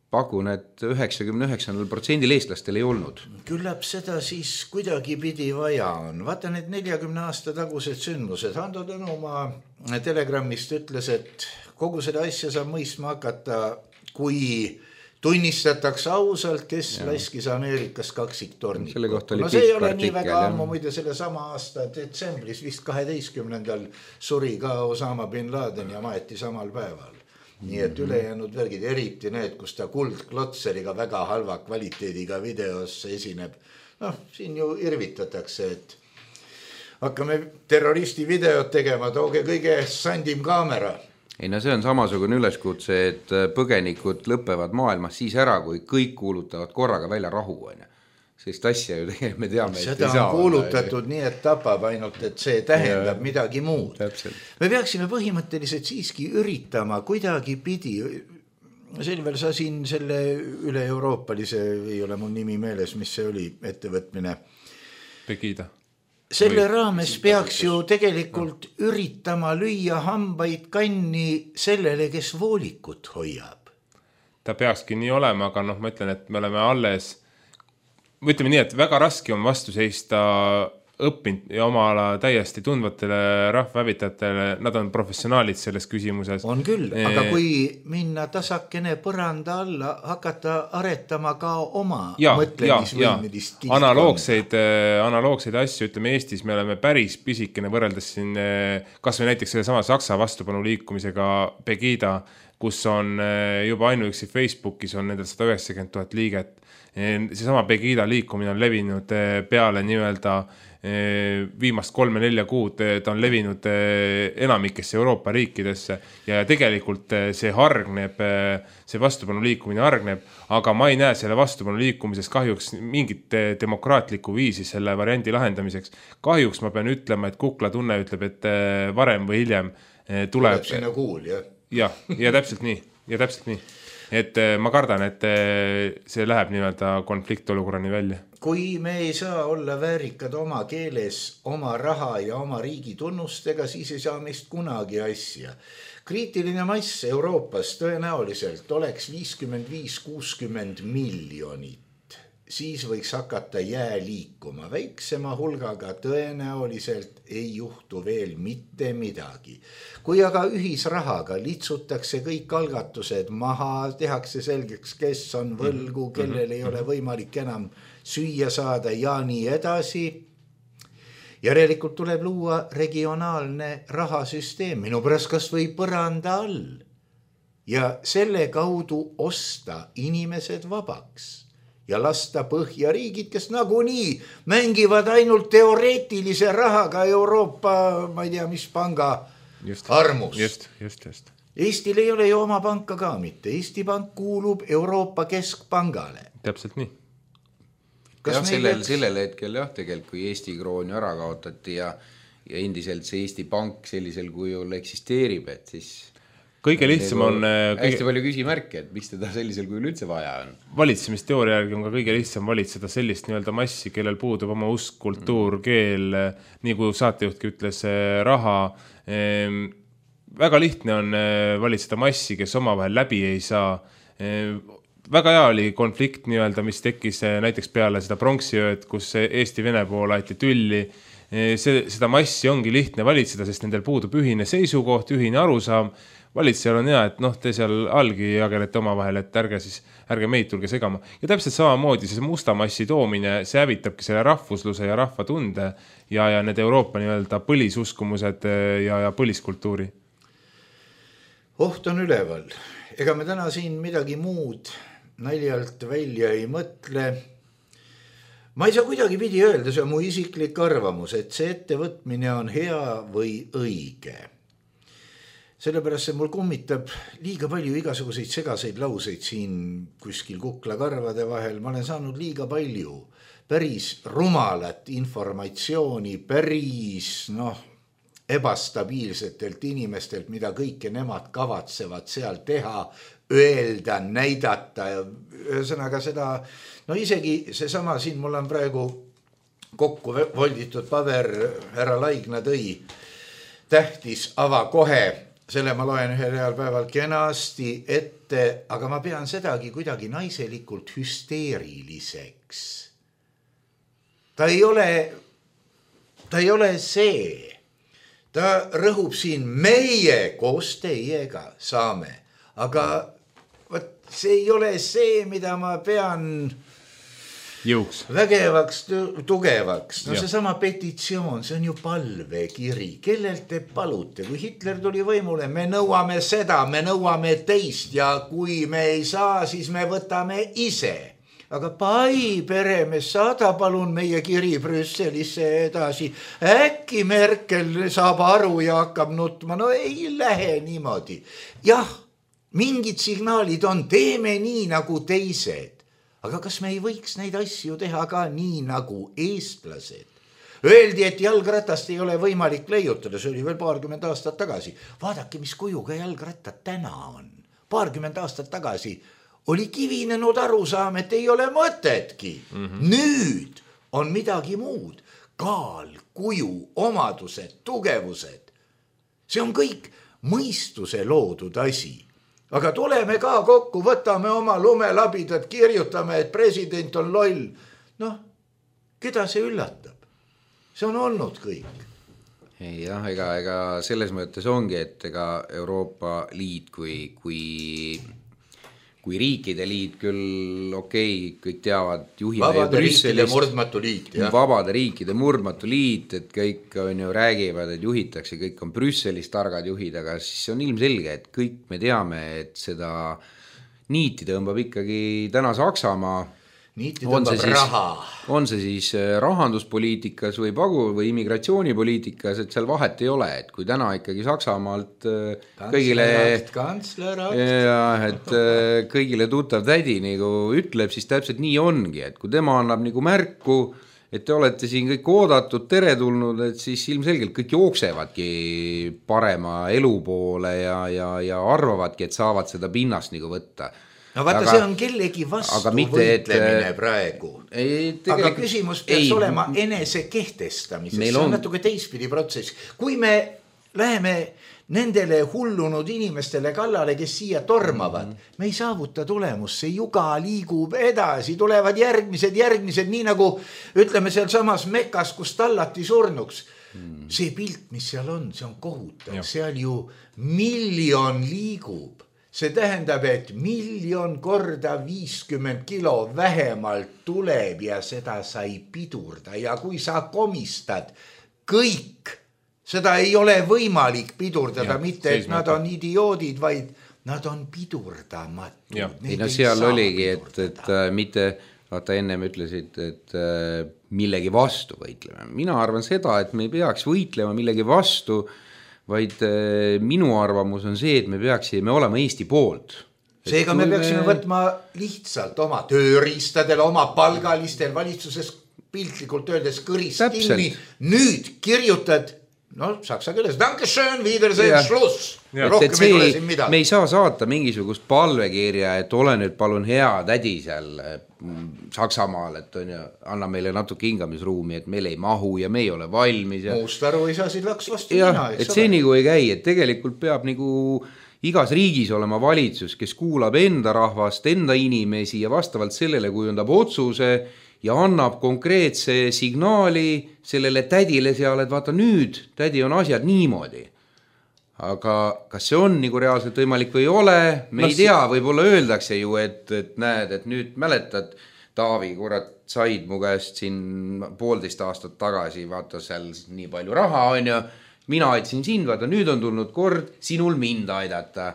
pakun, et üheksakümne üheksa protsendil eestlastel ei olnud. Küllap seda siis kuidagi pidi vaja on. Vaata need neljakümne aasta tagused sündmused. Hando Tõnumaa Telegrammist ütles, et kogu seda asja saab mõistma hakata, kui tunnistatakse ausalt, kes ja. laskis Ameerikas kaksiktornikut. Selle kohta oli no see ei ole artikkel, nii väga ammu, muide selle sama aasta detsembris vist kaheteistkümnendal suri ka Osama bin Laden ja maeti samal päeval. Nii et ülejäänud värgid, eriti need, kus ta kuldklotseriga väga halva kvaliteediga videos esineb. Noh, siin ju irvitatakse, et hakkame terroristi videot tegema, tooge kõige sandim kaamera. Ei no see on samasugune üleskutse, et põgenikud lõpevad maailmas siis ära, kui kõik kuulutavad korraga välja rahu. Sest asja ju tegelikult me teame, et seda on kuulutatud nii, et tapab ainult, et see tähendab ja, midagi muud. Täpselt. Me peaksime põhimõtteliselt siiski üritama kuidagi pidi. Selvel sa siin selle üle-euroopalise, ei ole mul nimi meeles, mis see oli, ettevõtmine. Pegida. Selle raames peaks ju tegelikult üritama lüüa hambaid kanni sellele, kes voolikut hoiab. Ta peakski nii olema, aga noh, ma ütlen, et me oleme alles, ütleme nii, et väga raske on vastu seista õppinud ja oma ala täiesti tundvatele rahvahävitajatele, nad on professionaalid selles küsimuses. On küll, e... aga kui minna tasakene põranda alla, hakata aretama ka oma ja, mõtlemisvõimedist. Analoogseid, analoogseid asju, ütleme Eestis, me oleme päris pisikene võrreldes siin, kas või näiteks selle sama Saksa vastupanu liikumisega Pegida, kus on juba ainuüksi Facebookis on nendel sada üheksakümmend tuhat liiget. See sama Pegida liikumine on levinud peale nii-öelda viimast kolme-nelja kuud, ta on levinud enamikesse Euroopa riikidesse ja tegelikult see hargneb, see vastupanu liikumine hargneb, aga ma ei näe selle vastupanu liikumises kahjuks mingit demokraatlikku viisi selle variandi lahendamiseks. Kahjuks ma pean ütlema, et Kukla tunne ütleb, et varem või hiljem tuleb... Tuleb sinna kuul, jah? Ja, ja täpselt nii, ja täpselt nii. Et ma kardan, et see läheb nii-öelda konfliktolukorrani välja. Kui me ei saa olla väärikad oma keeles, oma raha ja oma riigi tunnustega, siis ei saa meist kunagi asja. Kriitiline mass Euroopas tõenäoliselt oleks viiskümmend viis kuuskümmend miljonit. Siis võiks hakata jää liikuma. Väiksema hulgaga tõenäoliselt ei juhtu veel mitte midagi. Kui aga ühisrahaga litsutakse kõik algatused maha, tehakse selgeks, kes on võlgu, kellel ei ole võimalik enam süüa saada ja nii edasi. Järelikult tuleb luua regionaalne rahasüsteem, minu pärast kas või põranda all. Ja selle kaudu osta inimesed vabaks. Ja lasta põhjariigid, kes nagunii mängivad ainult teoreetilise rahaga Euroopa, ma ei tea, mis panga just, armus. Just, just, just. Eestil ei ole ju oma panka ka mitte. Eesti pank kuulub Euroopa Keskpangale. Täpselt nii. Kas jah, sellel, peaks... sellel hetkel jah, tegelikult kui Eesti krooni ära kaotati ja, ja endiselt see Eesti pank sellisel kujul eksisteerib, et siis... Kõige lihtsam on... Hästi kõige... palju küsimärke, et mis teda sellisel kujul üldse vaja on. Valitsemisteooria järgi on ka kõige lihtsam valitseda sellist nii-öelda massi, kellel puudub oma usk, kultuur, keel, nii kui saatejuhtki ütles, raha. Väga lihtne on valitseda massi, kes omavahel läbi ei saa. Väga hea oli konflikt nii-öelda, mis tekkis näiteks peale seda pronksiööd, kus Eesti-Vene pool aeti tülli. See, seda massi ongi lihtne valitseda, sest nendel puudub ühine seisukoht, ühine arusaam. Valitsejal on hea, et noh, te seal algi jagelete oma vahel, et ärge siis, ärge meid tulge segama. Ja täpselt samamoodi see musta massi toomine, see hävitabki selle rahvusluse ja rahvatunde ja, ja need Euroopa nii-öelda põlisuskumused ja, ja põliskultuuri. Oht on üleval. Ega me täna siin midagi muud naljalt välja ei mõtle. Ma ei saa kuidagi pidi öelda, see on mu isiklik arvamus, et see ettevõtmine on hea või õige. Sellepärast see mul kummitab liiga palju igasuguseid segaseid lauseid siin kuskil Kukla karvade vahel. Ma olen saanud liiga palju päris rumalat informatsiooni, päris noh, ebastabiilsetelt inimestelt, mida kõike nemad kavatsevad seal teha, öelda, näidata. Ühesõnaga seda, no isegi see sama siin mul on praegu kokku volditud paber, härra Laigna tõi, tähtis ava kohe. Selle ma loen ühel heal päeval kenasti ette, aga ma pean sedagi kuidagi naiselikult hüsteeriliseks. Ta ei ole, ta ei ole see. Ta rõhub siin meie koos teiega saame. Aga võt, see ei ole see, mida ma pean jõuks. Vägevaks, tugevaks. No see sama petitsioon, see on ju palvekiri. Kellelt te palute? Kui Hitler tuli võimule, me nõuame seda, me nõuame teist ja kui me ei saa, siis me võtame ise. Aga pai peremees, saada palun meie kiri Brüsselisse edasi. Äkki Merkel saab aru ja hakkab nutma. No ei lähe niimoodi. Jah, mingid signaalid on, teeme nii nagu teised. Aga kas me ei võiks neid asju teha ka nii nagu eestlased? Öeldi, et jalgratast ei ole võimalik leiutada, see oli veel paarkümmend aastat tagasi. Vaadake, mis kujuga jalgrattad täna on. Paarkümmend aastat tagasi oli kivinenud arusaam, et ei ole mõtetki. Mm-hmm. Nüüd on midagi muud. Kaal, kuju, omadused, tugevused. See on kõik mõistuse loodud asi. Aga tuleme ka kokku, võtame oma lumelabidad, kirjutame, et president on loll. Noh, keda see üllatab? See on olnud kõik. Ei, jah, ega, ega selles mõttes ongi, et ega Euroopa Liit kui, kui, kui riikide liit küll, okei, kõik teavad, juhime vabade riikide murdmatu liit. Ja. Vabade riikide murdmatu liit, et kõik on ju räägivad, et juhitakse, kõik on Brüsselis targad juhid, aga siis on ilmselge, et kõik me teame, et seda niiti tõmbab ikkagi täna Saksamaa. Niiti tõmbab siis, raha. On see siis rahanduspoliitikas või pagu või immigratsioonipoliitikas, et seal vahet ei ole, et kui täna ikkagi Saksamaalt kõigile, ja, et kõigile tuttav tädi nagu ütleb, siis täpselt nii ongi, et kui tema annab nagu märku, et te olete siin kõik oodatud, teretulnud, et siis ilmselgelt kõik jooksevadki parema elu poole ja, ja, ja arvavadki, et saavad seda pinnast nagu võtta. No vaata, aga, see on kellegi vastu mitte, võitlemine et, praegu. Ei, aga küsimus peaks ei, olema enese kehtestamises. See on, on natuke teistpidi protsess. Kui me läheme nendele hullunud inimestele kallale, kes siia tormavad, mm-hmm. me ei saavuta tulemust. See juga liigub edasi, tulevad järgmised, järgmised, nii nagu ütleme seal samas Mekas, kus tallati surnuks. Mm. See pilt, mis seal on, see on kohutav. Ja. Seal ju miljon liigub. See tähendab, et miljon korda viiskümmend kilo vähemalt tuleb ja seda sai pidurda. Ja kui sa komistad kõik, seda ei ole võimalik pidurdada, ja, mitte et nad on idioodid, vaid nad on pidurdamatud. Ei, no seal oligi, et, et äh, mitte, vaata ennem ütlesid, et äh, millegi vastu võitleme. Mina arvan seda, et me ei peaks võitlema millegi vastu, vaid minu arvamus on see, et me peaksime olema Eesti poolt. Seega me peaksime me... võtma lihtsalt oma tööriistadel, oma palgalistel valitsuses piltlikult öeldes kõrist kinni. Nüüd kirjutad, no saksa keeles, Dankeschön, Wiedersehen, Schluss. Rohkem ei tule siin midagi. Me ei saa saata mingisugust palvekirja, et ole nüüd palun hea tädi seal Saksamaal, et on ju, anna meile natuke hingamisruumi, et meil ei mahu ja me ei ole valmis. Ja... Muust aru ei saa siin laks vastu ja, mina. Et see nagu ei käi, et tegelikult peab nagu igas riigis olema valitsus, kes kuulab enda rahvast, enda inimesi ja vastavalt sellele kujundab otsuse ja annab konkreetse signaali sellele tädile seal, et vaata nüüd, tädi on asjad niimoodi. Aga kas see on nagu reaalselt võimalik või ei ole, me no, ei tea, võib-olla öeldakse ju, et, et näed, et nüüd mäletad, Taavi, kurat, said mu käest siin poolteist aastat tagasi, vaata seal nii palju raha on ja mina aitsin sind, vaata nüüd on tulnud kord sinul mind aidata,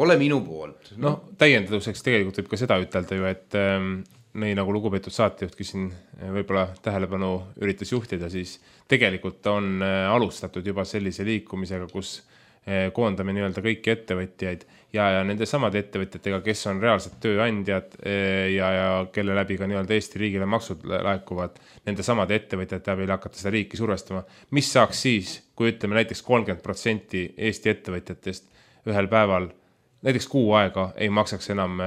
ole minu poolt. No, no täiendaduseks tegelikult võib ka seda ütelda ju, et ähm, nii nagu lugupeetud saatejuhtki siin võib-olla tähelepanu üritas juhtida, siis tegelikult on äh, alustatud juba sellise liikumisega, kus koondame nii-öelda kõiki ettevõtjaid ja, ja nende samade ettevõtjatega, kes on reaalsed tööandjad ja, ja kelle läbi ka nii-öelda Eesti riigile maksud laekuvad, nende samade ettevõtjate abil hakata seda riiki survestama. Mis saaks siis, kui ütleme näiteks kolmkümmend protsenti Eesti ettevõtjatest ühel päeval, näiteks kuu aega ei maksaks enam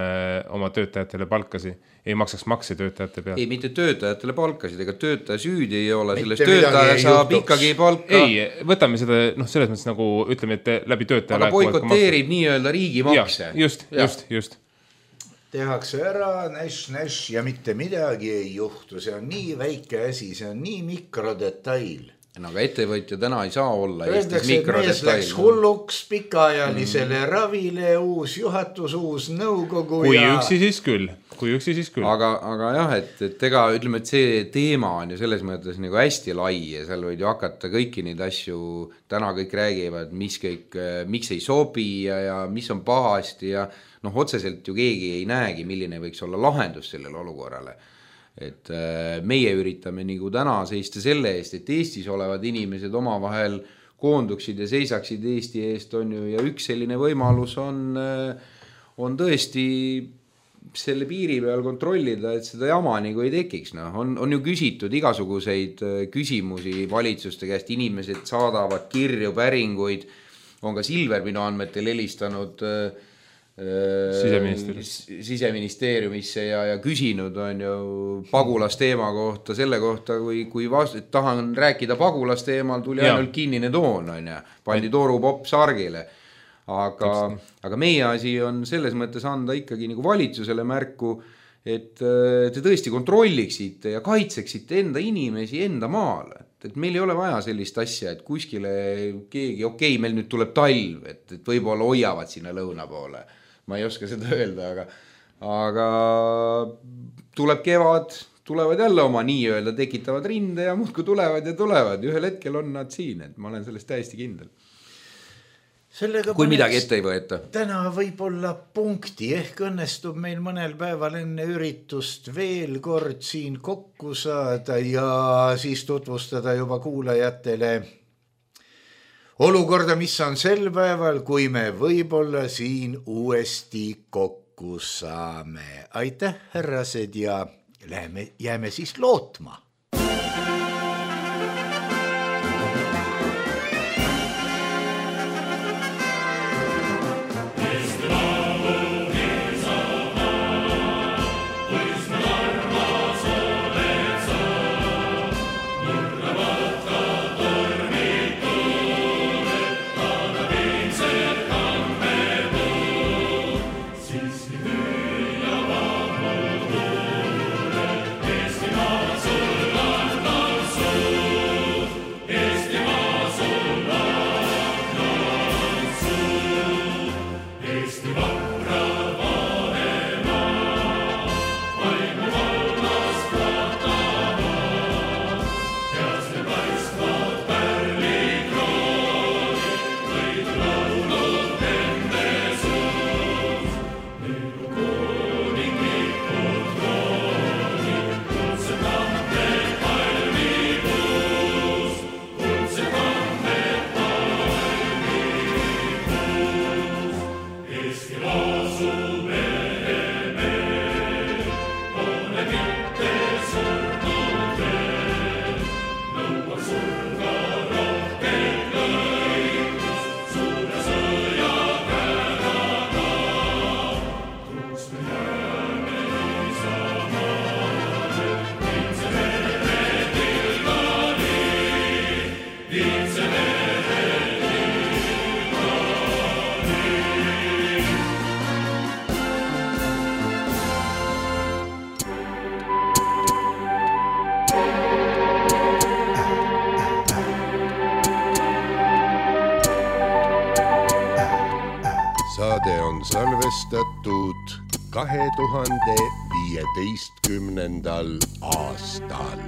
oma töötajatele palkasi, ei maksaks makse töötajate pealt? Ei, mitte töötajatele palkasid, ega töötaja süüdi ei ole, sellest töötaja saab juhtuks. Ikkagi palka. Ei, võtame seda, noh, selles mõttes nagu ütleme, et läbi töötaja aga boikoteerib nii-öelda riigi makse. Ja, just, ja. just, just. Tehakse ära, näš, näš ja mitte midagi ei juhtu, see on nii väike asi, see on nii mikrodetail. no aga ettevõtja täna ei saa olla öeldakse, et mees läks hulluks pikaajalisele mm. ravile, uus juhatus, uus nõukogu kui ja... üksi siis küll, kui üksi siis küll. Aga, aga jah, et, et ega ütleme, et see teema on ju selles mõttes nagu hästi lai ja seal võid ju hakata kõiki neid asju, täna kõik räägivad, mis kõik, miks ei sobi ja, ja mis on pahasti ja noh, otseselt ju keegi ei näegi, milline võiks olla lahendus sellele olukorrale. Et meie üritame nagu täna seista selle eest, et Eestis olevad inimesed oma vahel koonduksid ja seisaksid Eesti eest on ju ja üks selline võimalus on, on tõesti selle piiri peal kontrollida, et seda jama nagu ei tekiks. No, on, on ju küsitud igasuguseid küsimusi valitsuste käest, inimesed saadavad kirju, päringuid, on ka Silver minu andmetel helistanud siseministeeriumisse ja, ja küsinud on ju pagulasteema kohta, selle kohta, kui, kui vast, tahan rääkida pagulasteemal, tuli ja. ainult kinnine toon, on ju, pandi torupopp sargile. Aga, aga meie asi on selles mõttes anda ikkagi nagu valitsusele märku, et te tõesti kontrolliksite ja kaitseksite enda inimesi enda maal. Et meil ei ole vaja sellist asja, et kuskile keegi, okei, meil nüüd tuleb talv, et, et võib-olla hoiavad sinna lõuna poole. Ma ei oska seda öelda, aga, aga tuleb kevad, tulevad jälle oma nii-öelda, tekitavad rinde ja muudkui tulevad ja tulevad. Ühel hetkel on nad siin, et ma olen sellest täiesti kindel. Sellega kui midagi ette ei võeta. Täna võib-olla punkti, ehk õnnestub meil mõnel päeval enne üritust veel kord siin kokku saada ja siis tutvustada juba kuulajatele olukorda, mis on sel päeval, kui me võib-olla siin uuesti kokku saame. Aitäh, härrased, ja läheme, jääme siis lootma. Saade on salvestatud kahe tuhande viieteistkümnendal aastal.